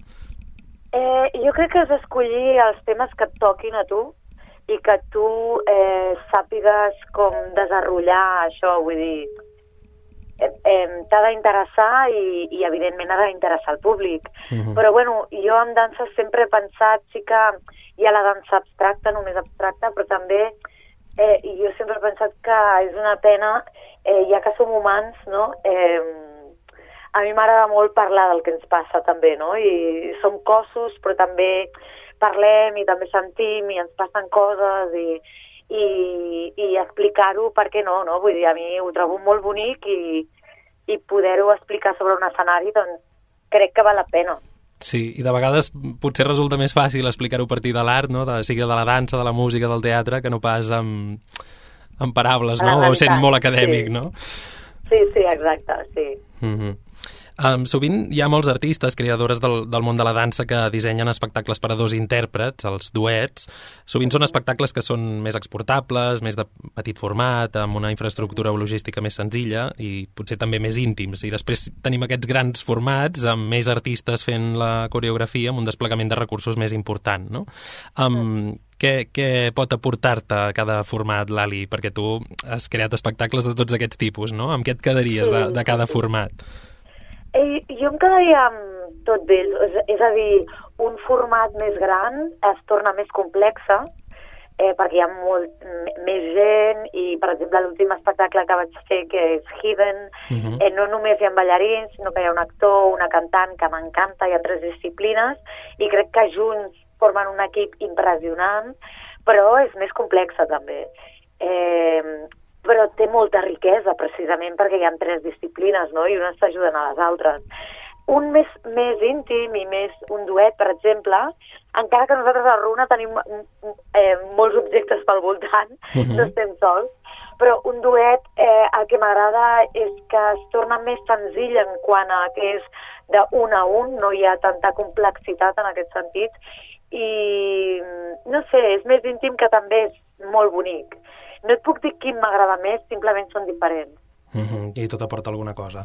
Jo crec que és escollir els temes que et toquin a tu i que tu sàpigues com desenrotllar això, vull dir, t'ha d'interessar i evidentment ha d'interessar el públic. Però bueno, jo en dansa sempre he pensat, sí que hi ha la dansa abstracta, només abstracta, però també jo sempre he pensat que és una pena, ja que som humans, no? A mi m'agrada molt parlar del que ens passa també, no? I som cossos, però també parlem i també sentim i ens passen coses i explicar-ho, per què no? Vull dir, a mi ho trobo molt bonic i poder-ho explicar sobre un escenari, doncs crec que val la pena. Sí, i de vegades potser resulta més fàcil explicar-ho a partir de l'art, no? Sigui de la dansa, de la música, del teatre, que no pas amb paraules, no? O sent molt acadèmic, sí. No? Sí, exacte, sí. Sovint hi ha molts artistes, creadores del món de la dansa que dissenyen espectacles per a dos intèrprets, els duets. Sovint són espectacles que són més exportables, més de petit format, amb una infraestructura logística més senzilla i potser també més íntims. I després tenim aquests grans formats amb més artistes fent la coreografia amb un desplegament de recursos més important, no? Què pot aportar-te cada format, Lali? Perquè tu has creat espectacles de tots aquests tipus, no? Amb què et quedaries de cada format? Jo em quedaria amb tot d'ells, és a dir, un format més gran es torna més complexa, perquè hi ha més gent i, per exemple, l'últim espectacle que vaig fer, que és Hidden, no només hi ha ballarins, sinó que hi ha un actor, una cantant, que m'encanta, hi ha 3 disciplines, i crec que junts formen un equip impressionant, però és més complexa també. Però té molta riquesa, precisament perquè hi ha 3 disciplines, no?, i unes s'ajuden a les altres. Un més íntim i més un duet, per exemple, encara que nosaltres a Runa tenim molts objectes pel voltant, no estem sols, però un duet el que m'agrada és que es torna més senzill en quant a que és d'un a un, no hi ha tanta complexitat en aquest sentit, i no sé, és més íntim, que també és molt bonic. No et puc dir quin m'agrada més, simplement són diferents. I tot aporta alguna cosa.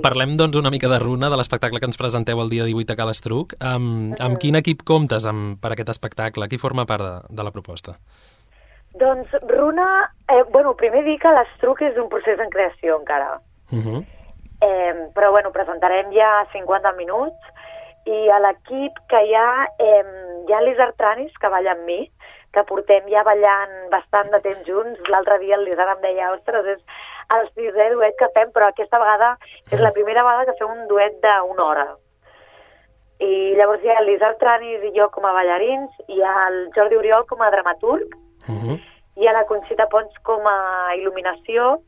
Parlem, doncs, una mica de Runa, de l'espectacle que ens presenteu el dia 18 a Cal Estruc. Amb quin equip comptes per aquest espectacle? Qui forma part de la proposta? Doncs Runa, primer dir que l'Estruc és un procés en creació encara. Però presentarem ja 50 minuts i a l'equip que hi ha l'Isar Tranis, que balla amb mi, que portem ja ballant bastant de temps junts. L'altre dia el Lizard em deia, ostres, és el 6è duet que fem, però aquesta vegada és la primera vegada que fem un duet d'1 hora. I llavors hi ha l'Isard Tranis i jo com a ballarins, hi ha el Jordi Oriol com a dramaturg, hi ha la Conxita Pons com a il·luminació,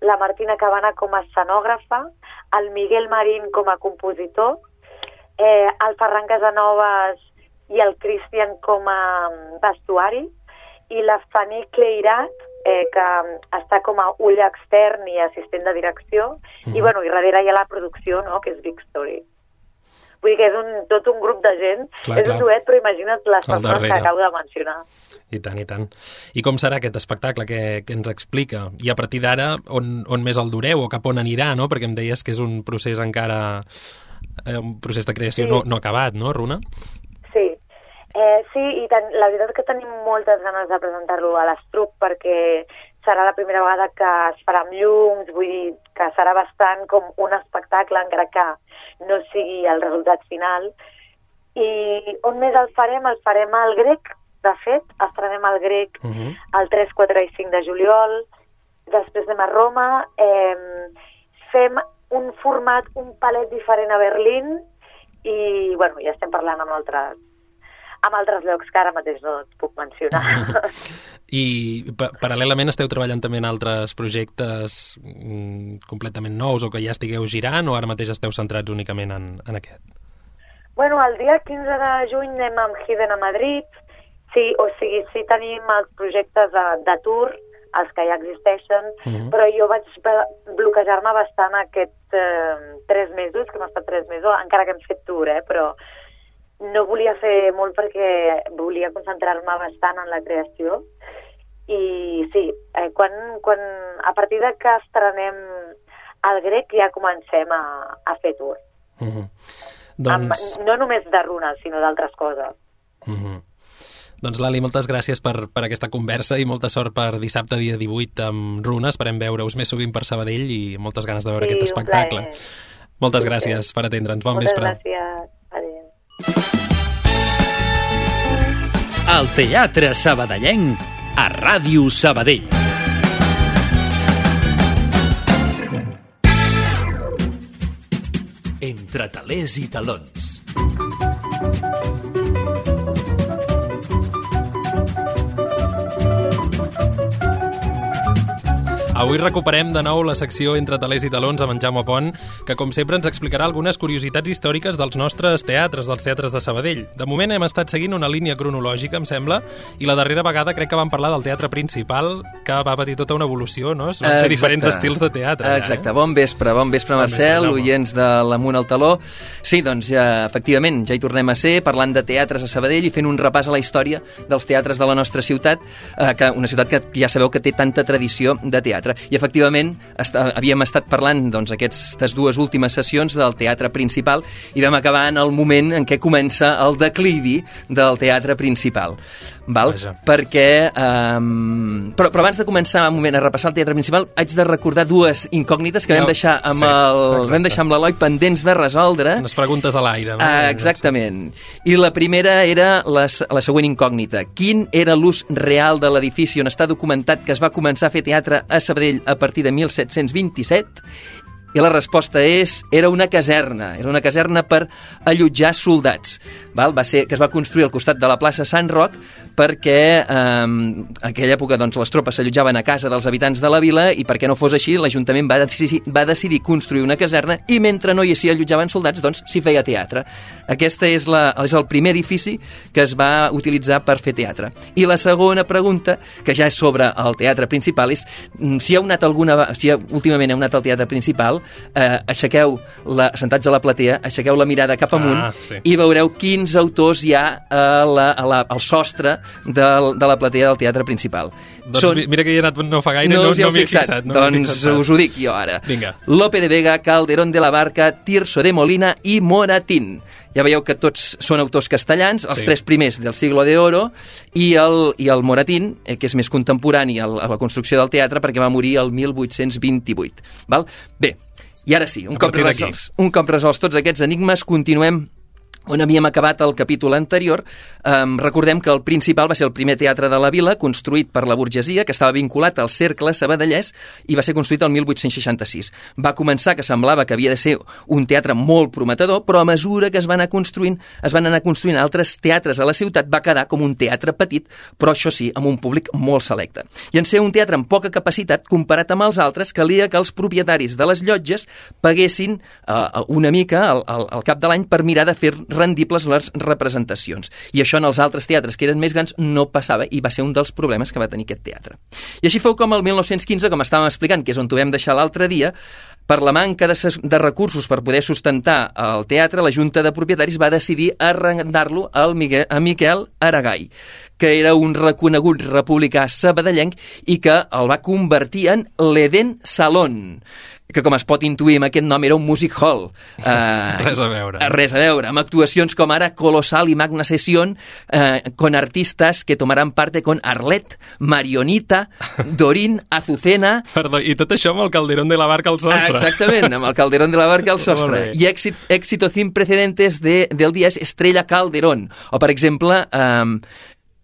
la Martina Cabana com a escenògrafa, el Miguel Marín com a compositor, el Ferran Casanovas i el Cristian com a vestuari, i la Fanny Cleirat, que està com a ull extern i assistent de direcció, i darrere hi ha la producció, no?, que és Big Story. Vull dir que és tot un grup de gent, és un duet, però imagina't les persones que acabo de mencionar. I tant, i tant. I com serà aquest espectacle que ens explica? I a partir d'ara, on més el dureu o cap on anirà, no? Perquè em deies que és un procés encara, un procés de creació no acabat, no, Runa? Sí. Sí, i la veritat que tenim moltes ganes de presentar-lo a l'Estruc perquè serà la primera vegada que es farà amb llums, vull dir que serà bastant com un espectacle, encara que no sigui el resultat final. I on més el farem? El farem al Grec, de fet, estrenem al Grec el 3, 4 i 5 de juliol, després anem a Roma, fem un format, un palet diferent a Berlín i, ja estem parlant amb altres llocs que ara mateix no et puc mencionar. I paral·lelament esteu treballant també en altres projectes completament nous o que ja estigueu girant o ara mateix esteu centrats únicament en aquest? El dia 15 de juny anem amb Hidden a Madrid, sí tenim els projectes de tour, els que ja existeixen, però jo vaig bloquejar-me bastant aquests 3 mesos, que hem estat 3 mesos, encara que hem fet tour, però no volia fer molt perquè volia concentrar-me bastant en la creació i sí, quan a partir de que estrenem el Grec ja comencem a fer tour. No només de runes, sinó d'altres coses. Doncs Lali, moltes gràcies per aquesta conversa i molta sort per dissabte, dia 18, amb runes. Esperem veure-us més sovint per Sabadell i moltes ganes de veure aquest espectacle. Moltes gràcies per atendre'ns. Bon vespre. Moltes gràcies. Adéu. El Teatre Sabadellenc a Ràdio Sabadell. Entre talers i talons. Avui recuperem de nou la secció Entre talers i talons amb en Jaume Pont, que com sempre ens explicarà algunes curiositats històriques dels nostres teatres, dels teatres de Sabadell. De moment hem estat seguint una línia cronològica, em sembla, i la darrera vegada crec que vam parlar del teatre principal, que va patir tota una evolució, no? Es van fer diferents estils de teatre. Exacte. Bon vespre, Marcel, oients de l'Amunt al Taló. Sí, doncs, efectivament, ja hi tornem a ser, parlant de teatres a Sabadell i fent un repàs a la història dels teatres de la nostra ciutat, una ciutat que ja sabeu que té tanta tradició de teatre. I efectivament havíem estat parlant aquestes 2 últimes sessions del teatre principal i vam acabar en el moment en què comença el declivi del teatre principal. Perquè però abans de començar un moment a repassar el teatre principal haig de recordar 2 incògnites que vam deixar amb l'Eloi pendents de resoldre. Unes preguntes a l'aire, no? Exactament. I la primera era la següent incògnita. Quin era l'ús real de l'edifici on està documentat que es va començar a fer teatre a Sabadell a partir de 1727? I la resposta era una caserna per allotjar soldats, que es va construir al costat de la plaça Sant Roc perquè en aquella època les tropes s'allotjaven a casa dels habitants de la vila i perquè no fos així l'Ajuntament va decidir construir una caserna i mentre no s'hi allotjaven soldats s'hi feia teatre. Aquest és el primer edifici que es va utilitzar per fer teatre. I la segona pregunta, que ja és sobre el teatre principal, és si últimament heu anat al teatre principal, sentats a la platea, aixequeu la mirada cap amunt i veureu quins autors hi ha al sostre de la platea del teatre principal. Mira que hi he anat no fa gaire, no m'hi he fixat. Us ho dic jo ara. Vinga. Lope de Vega, Calderón de la Barca, Tirso de Molina i Moratín. Ja veieu que tots són autors castellans, els 3 primers del Siglo de Oro i el Moratín, que és més contemporani a la construcció del teatre perquè va morir el 1828. Bé, i ara sí, un cop resolts tots aquests enigmes, continuem on havíem acabat el capítol anterior. Recordem que el Principal va ser el primer teatre de la vila, construït per la burgesia, que estava vinculat al cercle sabadellès i va ser construït el 1866. Va començar que semblava que havia de ser un teatre molt prometedor, però a mesura que es van anar construint altres teatres a la ciutat, va quedar com un teatre petit, però això sí, amb un públic molt selecte. I en ser un teatre amb poca capacitat, comparat amb els altres, calia que els propietaris de les llotges paguessin una mica al cap de l'any per mirar de fer rendibles les representacions. I això en els altres teatres que eren més grans no passava i va ser un dels problemes que va tenir aquest teatre. I així fou com el 1915, com estàvem explicant, que és on ho vam deixar l'altre dia, per la manca de recursos per poder sustentar el teatre, la Junta de Propietaris va decidir arrendar-lo a Miquel Aragai, que era un reconegut republicà sabadellenc i que el va convertir en l'Eden Salón, que com es pot intuir amb aquest nom era un music hall. Res a veure. Res a veure, amb actuacions com ara Colosal y Magna Sesión, con artistas que tomaran parte con Arlet, Marionita, Dorín, Azucena... Perdó, i tot això amb el Calderón de la Barca al sostre. Exactament, amb el Calderón de la Barca al sostre. I éxito sin precedentes del día es Estrella Calderón. O, per exemple...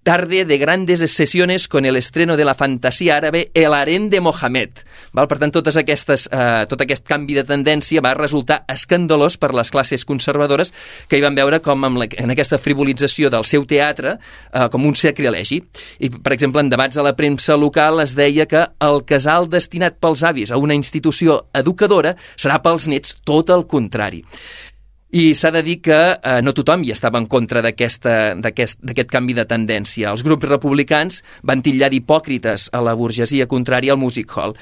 tarde de grandes sesiones con el estreno de la fantasía árabe El harén de Mohamed. Val? Per tant, tot aquest canvi de tendència va resultar escandalós per les classes conservadores que hi van veure com en aquesta frivolització del seu teatre com un sacrilegi. I, per exemple, en debats a la premsa local es deia que el casal destinat pels avis a una institució educadora serà pels nets tot el contrari. I s'ha de dir que no tothom hi estava en contra d'aquest canvi de tendència. Els grups republicans van titllar d'hipòcrites a la burgesia contrària al music hall.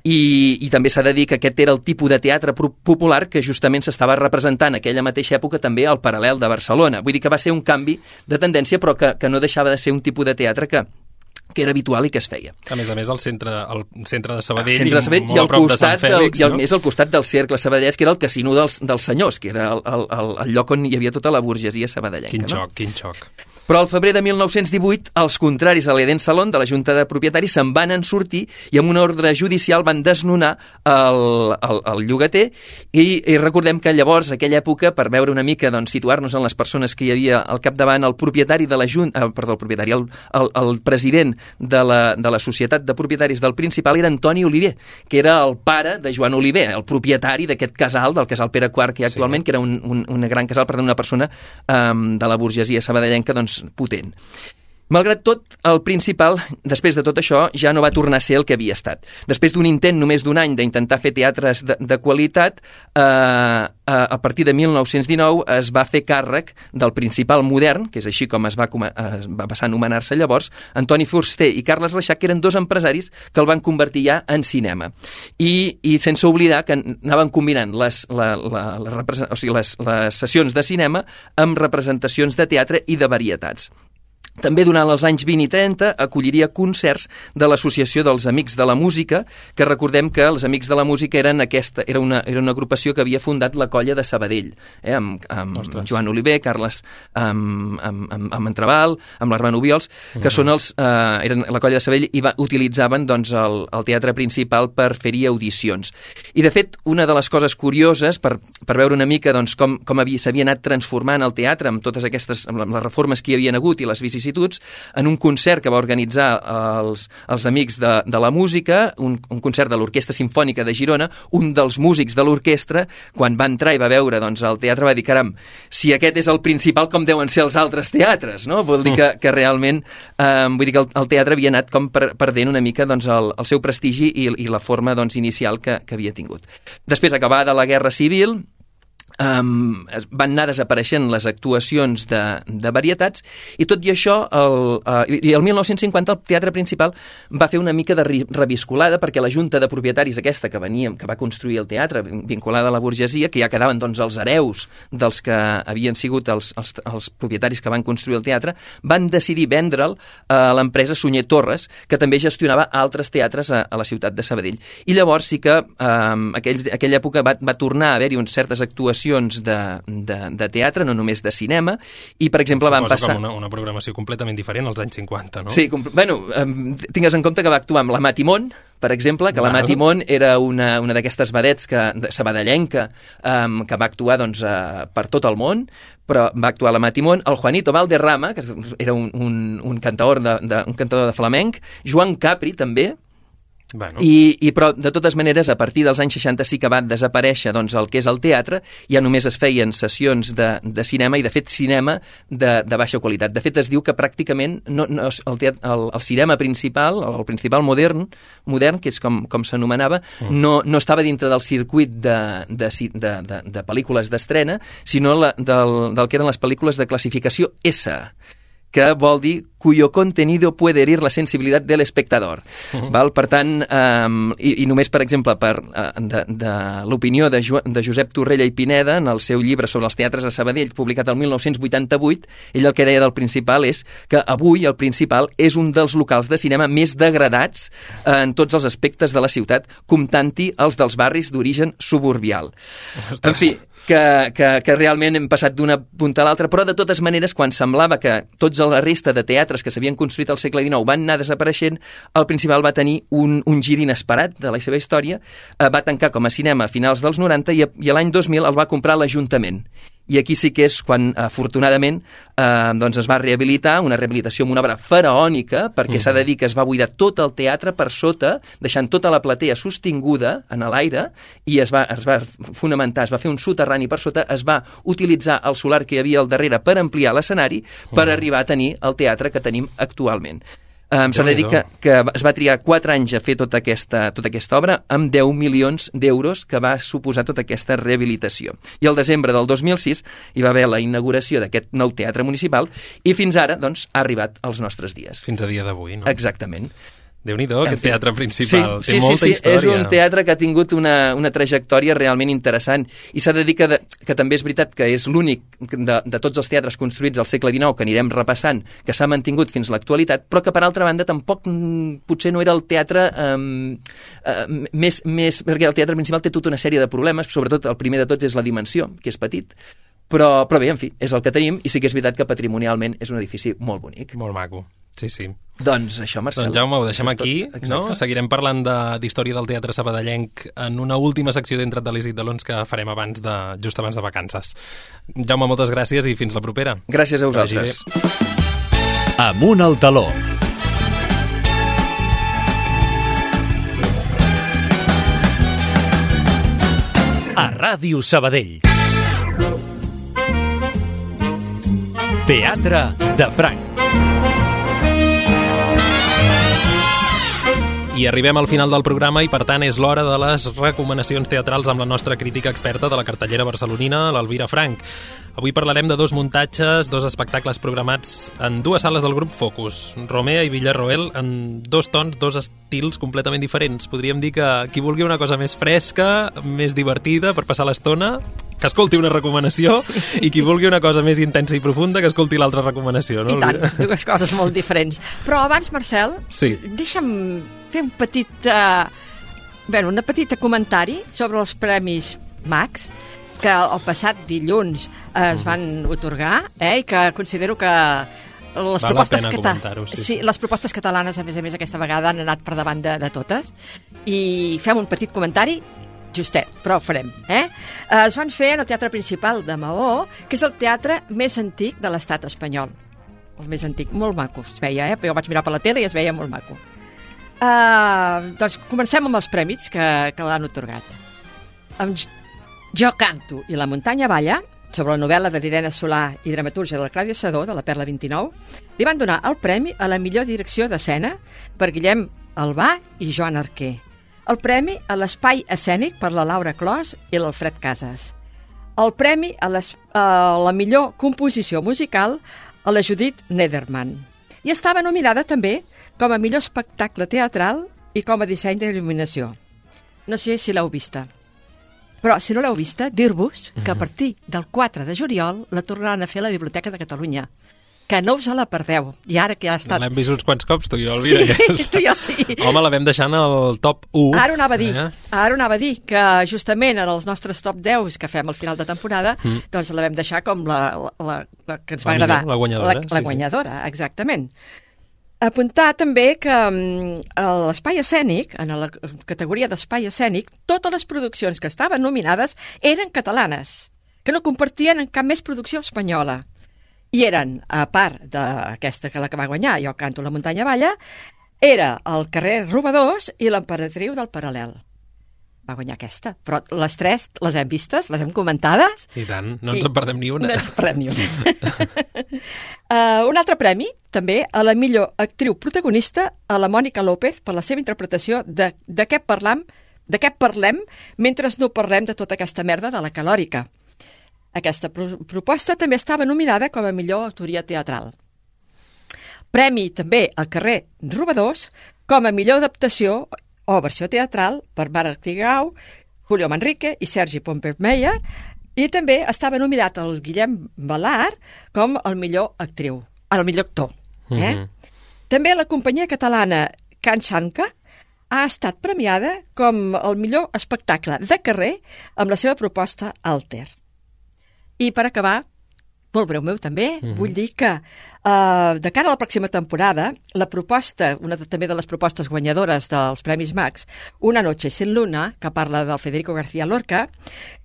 I també s'ha de dir que aquest era el tipus de teatre popular que justament s'estava representant en aquella mateixa època també al Paral·lel de Barcelona. Vull dir que va ser un canvi de tendència, però que no deixava de ser un tipus de teatre que era habitual i que es feia. A més, el centre de Sabadell, i al costat al costat del cercle sabadellès, que era el casino dels senyors, que era el lloc on hi havia tota la burgesia sabadellenca. Quin xoc. Però al febrer de 1918, els contraris a l'Eden Salón de la Junta de Propietaris se'n van sortir i amb una ordre judicial van desnonar el llogater i recordem que llavors, aquella època, per veure una mica, doncs, situar-nos en les persones que hi havia al capdavant, el propietari de la Junta, el president de la Societat de Propietaris del Principal era Antoni Oliver, que era el pare de Joan Oliver, el propietari d'aquest casal, del casal Pere IV que hi ha actualment, que era un gran casal, per tant, una persona de la burgesia sabadellenca, doncs, potent. Malgrat tot, el Principal, després de tot això, ja no va tornar a ser el que havia estat. Després d'un intent només d'un any d'intentar fer teatres de qualitat, a partir de 1919 es va fer càrrec del Principal modern, que és així com va passar a anomenar-se llavors, Antoni Fuster i Carles Reixac, que eren dos empresaris que el van convertir ja en cinema. I sense oblidar que anaven combinant les sessions de cinema amb representacions de teatre i de varietats. També durant els anys 20 i 30 acolliria concerts de l'Associació dels Amics de la Música, que recordem que els Amics de la Música era una agrupació que havia fundat la Colla de Sabadell, amb Joan Oliver, Carles amb Entreval, amb l'Armand Obiols, que són eren la Colla de Sabadell i utilitzaven doncs, el teatre principal per fer-hi audicions. I de fet, una de les coses curioses, per veure una mica doncs, com s'havia anat transformant el teatre amb totes aquestes, amb les reformes que hi havien hagut i les vicissituds, en un concert que va organitzar els Amics de la Música, un concert de l'Orquestra Simfònica de Girona, un dels músics de l'orquestra, quan va entrar i va veure doncs, el teatre, va dir, caram, si aquest és el Principal, com deuen ser els altres teatres, no? Vol dir que realment, vull dir que el teatre havia anat com perdent una mica doncs, el seu prestigi i la forma doncs, inicial que havia tingut. Després, acabada la Guerra Civil, van anar desapareixent les actuacions de varietats i tot i això el 1950 el Teatre Principal va fer una mica de reviscolada perquè la Junta de Propietaris aquesta que va construir el teatre vinculada a la burgesia, que ja quedaven doncs els hereus dels que havien sigut els propietaris que van construir el teatre, van decidir vendre'l a l'empresa Sunyer Torres, que també gestionava altres teatres a la ciutat de Sabadell. I llavors sí que aquella època va tornar a haver-hi certes actuacions de teatre, no només de cinema, i per exemple van passar... Com una programació completament diferent als anys 50, no? Sí, tingues en compte que va actuar amb la Matimón, per exemple, que la Mati Mont era una d'aquestes vedets sabadellenca que va actuar doncs, per tot el món, però va actuar la Mati Mont, el Juanito Valderrama, que era un cantaor de flamenc, Joan Capri també, Bueno. Però de totes maneres a partir dels anys 60 sí que va desaparèixer doncs, el que és el teatre, ja només es feien sessions de cinema i de fet cinema de baixa qualitat. De fet es diu que pràcticament el cinema principal, el principal modern, que és com s'anomenava, no estava dintre del circuit de pel·lícules d'estrena, sinó del que eren les pel·lícules de classificació S, que vol dir cuyo contenido puede herir la sensibilitat del espectador. Val? Per tant, i només, per exemple, de l'opinió de Josep Torrella i Pineda, en el seu llibre sobre els teatres a Sabadell, publicat el 1988, ell el que deia del Principal és que avui el Principal és un dels locals de cinema més degradats en tots els aspectes de la ciutat, comptant-hi els dels barris d'origen suburbial. En fi, que realment hem passat d'una punta a l'altra, però de totes maneres, quan semblava que tots la resta de teatres que s'havien construït al segle XIX van anar desapareixent, el Principal va tenir un gir inesperat de la seva història, va tancar com a cinema a finals dels 90 i l'any 2000 el va comprar l'Ajuntament. I aquí sí que és quan, afortunadament, doncs es va rehabilitar, una rehabilitació amb una obra faraònica, perquè s'ha de dir que es va buidar tot el teatre per sota, deixant tota la platea sostinguda en l'aire, i es va fonamentar, es va fer un soterrani per sota, es va utilitzar el solar que hi havia al darrere per ampliar l'escenari, per arribar a tenir el teatre que tenim actualment. S'ha de dir que es va triar 4 anys a fer tota aquesta obra amb 10 milions d'euros que va suposar tota aquesta rehabilitació. I al desembre del 2006 hi va haver la inauguració d'aquest nou teatre municipal i fins ara doncs, ha arribat als nostres dies. Fins a dia d'avui, no? Exactament. Déu-n'hi-do, aquest teatre principal. Sí, té molta història. És un teatre que ha tingut una trajectòria realment interessant i s'ha de dir que també és veritat que és l'únic de tots els teatres construïts al segle XIX que anirem repassant, que s'ha mantingut fins a l'actualitat, però que per altra banda tampoc potser no era el teatre més... perquè el teatre principal té tota una sèrie de problemes, sobretot el primer de tots és la dimensió, que és petit, però bé, en fi, és el que tenim i sí que és veritat que patrimonialment és un edifici molt bonic. Molt maco. Sí, sí. Doncs això, Marcel. Doncs Jaume, ho deixem aquí, no? Seguirem parlant d'història del teatre sabadellenc en una última secció d'Entra't de l'Isit de l'Ons que farem just abans de vacances. Jaume, moltes gràcies i fins la propera. Gràcies a vosaltres. Amunt al taló. A Ràdio Sabadell. Teatre de Franc. I arribem al final del programa i, per tant, és l'hora de les recomanacions teatrals amb la nostra crítica experta de la cartellera barcelonina, l'Elvira Franch. Avui parlarem de 2 muntatges, 2 espectacles programats en 2 sales del grup Focus, Romea i Villarroel, en 2 tons, 2 estils completament diferents. Podríem dir que qui vulgui una cosa més fresca, més divertida per passar l'estona, que escolti una recomanació, i qui vulgui una cosa més intensa i profunda, que escolti l'altra recomanació. No? I tant, 2 coses molt diferents. Però abans, Marcel, deixa'm fer un petit comentari sobre els Premis Max, que el passat dilluns es van otorgar, i que considero que les propostes catalanes, a més, aquesta vegada han anat per davant de totes. I fem un petit comentari justet, però ho farem. Es van fer en el Teatre Principal de Maó, que és el teatre més antic de l'estat espanyol. El més antic, molt maco es veia, però jo vaig mirar per la tele i es veia molt maco. Doncs comencem amb els premis que l'han otorgat. Jo canto i la muntanya balla, sobre la novel·la de l'Irene Solà i dramatúrgia de la Clàudia Sedó, de la Perla 29, li van donar el premi a la millor direcció d'escena per Guillem Albà i Joan Arquer. El premi a l'espai escènic per la Laura Clos i l'Alfred Casas. El premi a la millor composició musical a la Judit Nederman. I estava nominada també com a millor espectacle teatral i com a disseny d'il·luminació. No sé si l'heu vista. Però, si no l'heu vista, dir-vos que a partir del 4 de juliol la tornaran a fer a la Biblioteca de Catalunya. Que no us la perdeu. I ara que ha estat... L'hem vist uns quants cops, tu i jo, Elvira. Sí, tu i jo sí. Home, la vam deixar en el top 1. Ara ho anava a dir, que justament en els nostres top 10 que fem al final de temporada, doncs la vam deixar com la que ens va agradar. La guanyadora. La guanyadora, exactament. Apuntar també que a l'espai escènic, en la categoria d'espai escènic, totes les produccions que estaven nominades eren catalanes, que no compartien en cap més producció espanyola. I eren, a part d'aquesta que la que va guanyar, Jo canto la muntanya balla, era El carrer Robadors i L'emperatriu del Paral·lel. Va guanyar aquesta, però les tres les hem vistes, les hem comentades. I tant, no ens en perdem ni una. No ens en perdem ni una. Un altre premi, també, a la millor actriu protagonista, a la Mònica López, per la seva interpretació de què parlem mentre no parlem de tota aquesta merda de la calòrica. Aquesta proposta també estava nominada com a millor autoria teatral. Premi també al carrer Robadors com a millor adaptació o versió teatral per Marc Tigau, Julio Manrique i Sergi Pompermeyer, i també estava nominat el Guillem Balart com el millor actor. També la companyia catalana Can Xanca ha estat premiada com el millor espectacle de carrer amb la seva proposta Alter. I per acabar, molt breu meu també, vull dir que de cara a la pròxima temporada, la proposta, una també de les propostes guanyadores dels Premis Max, Una noche sin luna, que parla del Federico García Lorca,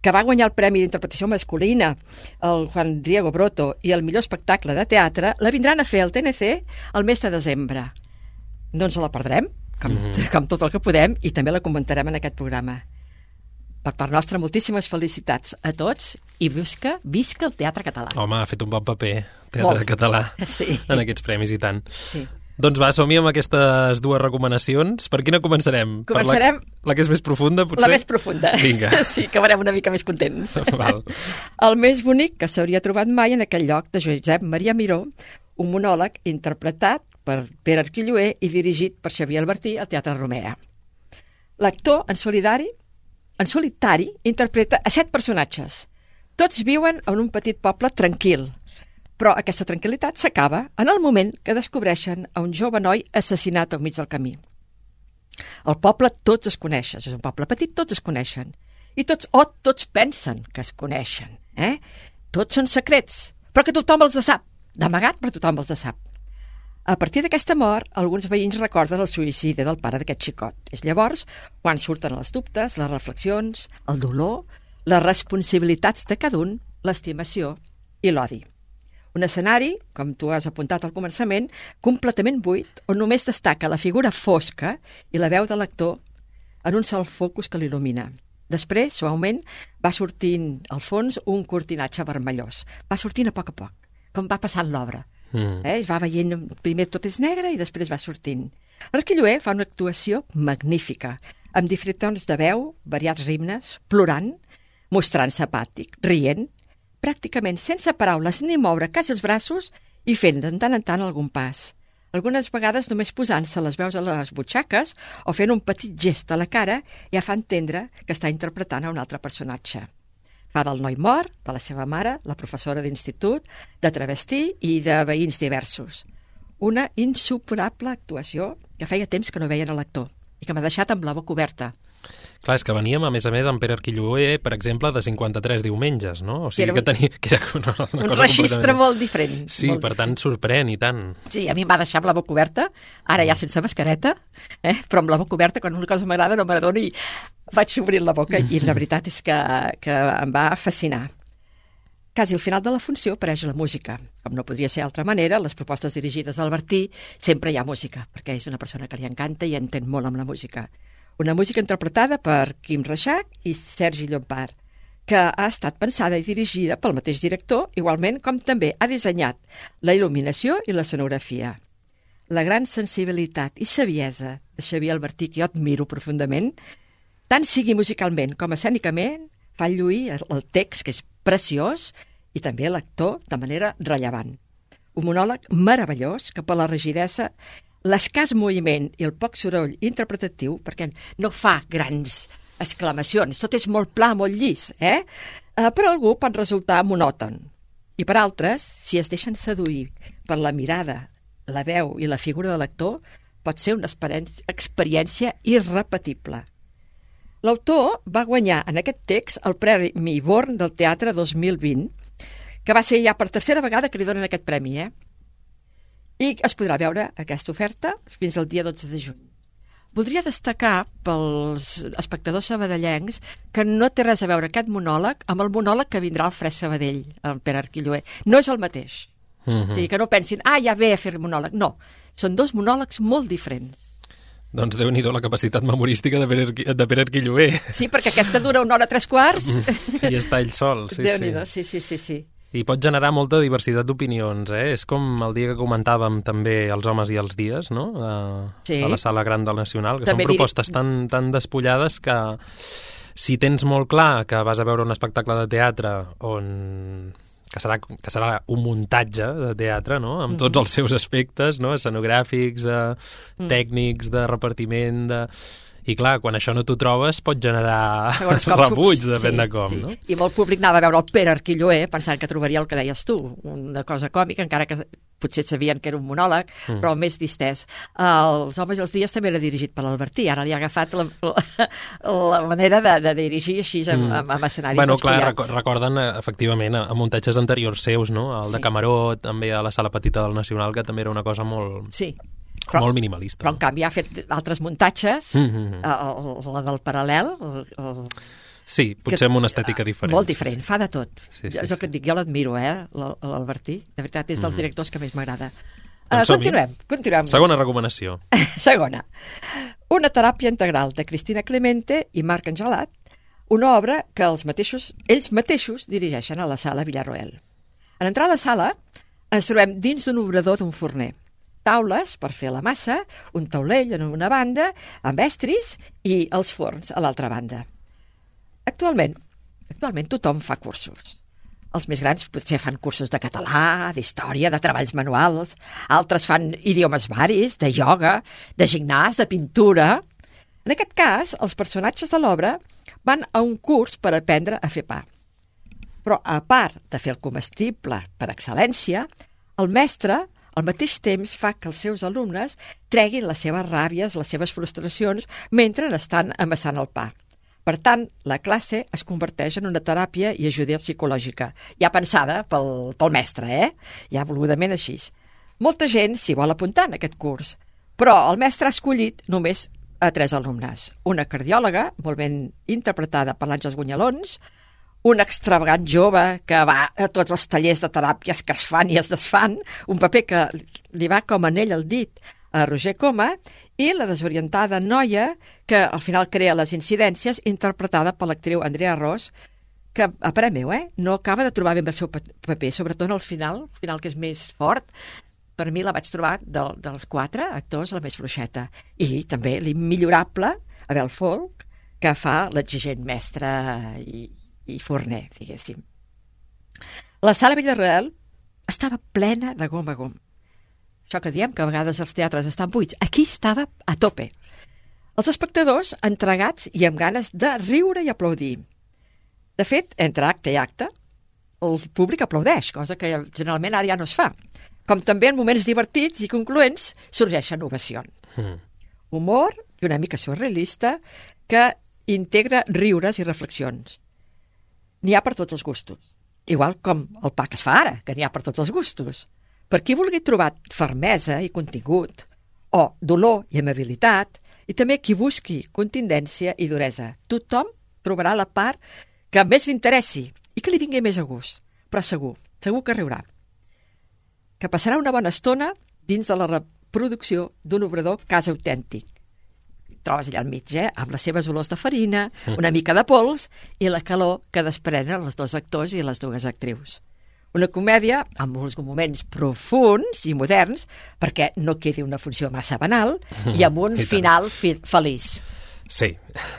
que va guanyar el Premi d'Interpretació Masculina, el Juan Diego Broto i el millor espectacle de teatre, la vindran a fer al TNC el mes de desembre. No ens la perdrem, com tot el que podem, i també la comentarem en aquest programa. Per part nostra, moltíssimes felicitats a tots i visca el teatre català. Home, ha fet un bon paper, teatre català, en aquests premis i tant. Sí. Doncs va, som-hi amb aquestes dues recomanacions. Per quina començarem? Començarem... La que és més profunda, potser? La més profunda. Vinga. Sí, que acabarem una mica més contents. Val. El més bonic que s'hauria trobat mai en aquell lloc, de Josep Maria Miró, un monòleg interpretat per Pere Arquilloé i dirigit per Xavier Albertí al Teatre Romea. L'actor, en solitari, interpreta a 7 personatges. Tots viuen en un petit poble tranquil, però aquesta tranquil·litat s'acaba en el moment que descobreixen a un jove noi assassinat al mig del camí. El poble tots es coneixen, és un poble petit, tots es coneixen. I tots pensen que es coneixen. Tots són secrets, però que tothom els sap. D'amagat, però tothom els sap. A partir d'aquesta mort, alguns veïns recorden el suïcidi del pare d'aquest xicot. És llavors quan surten els dubtes, les reflexions, el dolor, les responsabilitats de cada un, l'estimació i l'odi. Un escenari, com tu has apuntat al començament, completament buit, on només destaca la figura fosca i la veu de l'actor en un sol focus que l'il·lumina. Després, suaument, va sortint al fons un cortinatge vermellós. Va sortint a poc, com va passant l'obra. Es va veient, primer tot és negre i després va sortint. Arquilloé fa una actuació magnífica, amb diferents tons de veu, variats ritmes, plorant, mostrant-se apàtic, rient, pràcticament sense paraules ni moure quasi els braços i fent de tant en tant algun pas. Algunes vegades només posant-se les veus a les butxaques o fent un petit gest a la cara ja fa entendre que està interpretant a un altre personatge. Fa del noi mort, de la seva mare, la professora d'institut, de travestí i de veïns diversos. Una insuperable actuació que feia temps que no veien a l'actor i que m'ha deixat amb la boca oberta. Clar, és que veníem, a més, amb Pere Arquilloé, per exemple, de 53 diumenges, no? O sigui que era una cosa un registre molt diferent. Sí, molt per tant, sorprèn i tant. Sí, a mi em va deixar amb la boca oberta, ara ja sense mascareta, però amb la boca oberta, quan una cosa m'agrada no m'adona i vaig obrir la boca i la veritat és que em va fascinar. Quasi al final de la funció apareix la música. Com no podria ser d'altra manera, les propostes dirigides al Bertí sempre hi ha música, perquè és una persona que li encanta i entén molt amb la música. Una música interpretada per Quim Reixac i Sergi Llompart, que ha estat pensada i dirigida pel mateix director, igualment com també ha dissenyat la il·luminació i l'escenografia. La gran sensibilitat i saviesa de Xavier Albertí, que jo admiro profundament, tant sigui musicalment com escènicament, fa lluir el text, que és preciós, i també l'actor de manera rellevant. Un monòleg meravellós que per la rigidesa, l'escàs moviment i el poc soroll interpretatiu, perquè no fa grans exclamacions, tot és molt pla, molt llis, per algú pot resultar monòton. I per altres, si es deixen seduir per la mirada, la veu i la figura de l'actor, pot ser una experiència irrepetible. L'autor va guanyar en aquest text el Premi Born del Teatre 2020, que va ser ja per tercera vegada que li donen aquest premi, I es podrà veure aquesta oferta fins al dia 12 de juny. Voldria destacar pels espectadors sabadellencs que no té res a veure aquest monòleg amb el monòleg que vindrà al Fresc Sabadell, el Pere Arquilloé. No és el mateix. O sigui, que no pensin, ja ve a fer monòleg. No, són dos monòlegs molt diferents. Doncs Déu-n'hi-do la capacitat memorística de Pere Arquilloé. Sí, perquè aquesta dura 1 hora 3/4. I està ell sol, sí. Déu-n'hi-do, sí. I pot generar molta diversitat d'opinions, És com el dia que comentàvem també Els homes i els dies, no? A la Sala Gran del Nacional, que també són propostes tan despullades que si tens molt clar que vas a veure un espectacle de teatre que serà un muntatge de teatre, no? Amb tots els seus aspectes, no? Escenogràfics, tècnics, de repartiment, I clar, quan això no t'ho trobes pot generar rebuig, depèn de com, no? I molt públic anava a veure el Pere Arquilloé pensant que trobaria el que deies tu, una cosa còmica, encara que potser sabien que era un monòleg, però més distès. Els homes i els dies també era dirigit per l'Albertí, ara li ha agafat la manera de dirigir així amb escenaris despullats. Clar, recorden efectivament a muntatges anteriors seus, no? El de Camaró, també a la Sala Petita del Nacional, que també era una cosa molt... Sí. Molt minimalista. Però en canvi ha fet altres muntatges, la del Paral·lel... Sí, potser amb una estètica diferent. Molt diferent, fa de tot. És el que et dic, jo l'admiro, l'Albertí. De veritat, és dels directors que més m'agrada. Continuem. Segona recomanació. Segona. Una teràpia integral de Cristina Clemente i Marc Angelat, una obra que ells mateixos dirigeixen a la Sala Villarroel. En entrar a la sala ens trobem dins d'un obrador d'un forner. Taules per fer la massa, un taulell en una banda, amb estris i els forns a l'altra banda. Actualment tothom fa cursos. Els més grans potser fan cursos de català, d'història, de treballs manuals, altres fan idiomes varis, de ioga, de gimnàs, de pintura. En aquest cas, els personatges de l'obra van a un curs per aprendre a fer pa. Però a part de fer el comestible per excel·lència, el mestre al mateix temps fa que els seus alumnes treguin les seves ràbies, les seves frustracions, mentre estan amassant el pa. Per tant, la classe es converteix en una teràpia i ajuda psicològica, ja pensada pel mestre, ja volgudament així. Molta gent s'hi vol apuntar en aquest curs, però el mestre ha escollit només a 3 alumnes. Una cardiòloga, molt ben interpretada per l'Àngels Gunyalons, un extravagant jove que va a tots els tallers de teràpies que es fan i es desfan, un paper que li va com anell al dit a Roger Coma, i la desorientada noia que al final crea les incidències, interpretada per l'actriu Andrea Ros, que, a parer meu, no acaba de trobar ben el seu paper, sobretot al final que és més fort. Per mi la vaig trobar dels 4 actors la més fluixeta. I també l'immillorable Abel Folk, que fa l'exigent mestre i forner, diguéssim. La Sala Villarroel estava plena de gom a gom. Això que diem, que a vegades els teatres estan buits, aquí estava a tope. Els espectadors entregats i amb ganes de riure i aplaudir. De fet, entre acte i acte, el públic aplaudeix, cosa que generalment ara ja no es fa. Com també en moments divertits i concloents sorgeixen ovacions. Humor i una mica surrealista que integra riures i reflexions. N'hi ha per tots els gustos. Igual com el pa que es fa ara, que n'hi ha per tots els gustos. Per qui vulgui trobar fermesa i contingut, o dolor i amabilitat, i també qui busqui contundència i duresa. Tothom trobarà la part que més li interessi i que li vingui més a gust. Però segur que riurà. Que passarà una bona estona dins de la reproducció d'un obrador quasi autèntic. Trobes allà al mig, amb les seves olors de farina, una mica de pols i la calor que desprenen els 2 actors i les 2 actrius. Una comèdia amb molts moments profuns i moderns, perquè no quedi una funció massa banal, i amb un final feliç. Sí.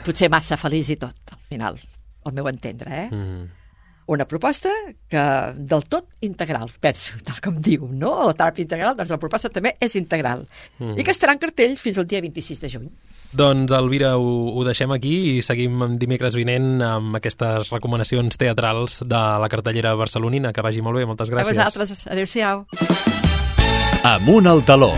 Potser massa feliç i tot, al final, al meu entendre, Una proposta que del tot integral, penso, tal com diu, no? La teràpia integral, doncs la proposta també és integral. I que estarà en cartell fins al dia 26 de juny. Doncs, Elvira, ho deixem aquí i seguim dimecres vinent amb aquestes recomanacions teatrals de la cartellera barcelonina. Que vagi molt bé, moltes gràcies. A vosaltres, adéu-siau. Amunt al taló.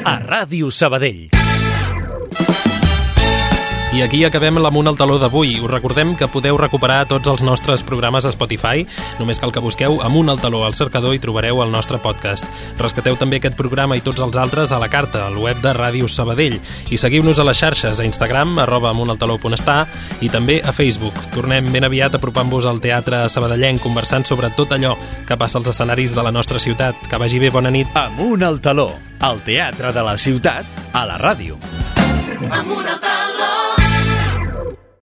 A Ràdio Sabadell. I aquí acabem l'Amunt al Taló d'avui. Us recordem que podeu recuperar tots els nostres programes a Spotify. Només cal que busqueu Amunt al Taló al cercador i trobareu el nostre podcast. Rescateu també aquest programa i tots els altres a la carta, al web de Ràdio Sabadell. I seguiu-nos a les xarxes, a Instagram, @amuntaltaló.està i també a Facebook. Tornem ben aviat apropant-vos al teatre sabadellenc, conversant sobre tot allò que passa als escenaris de la nostra ciutat. Que vagi bé, bona nit. Amunt al Taló, el teatre de la ciutat, a la ràdio. Amunt al Taló.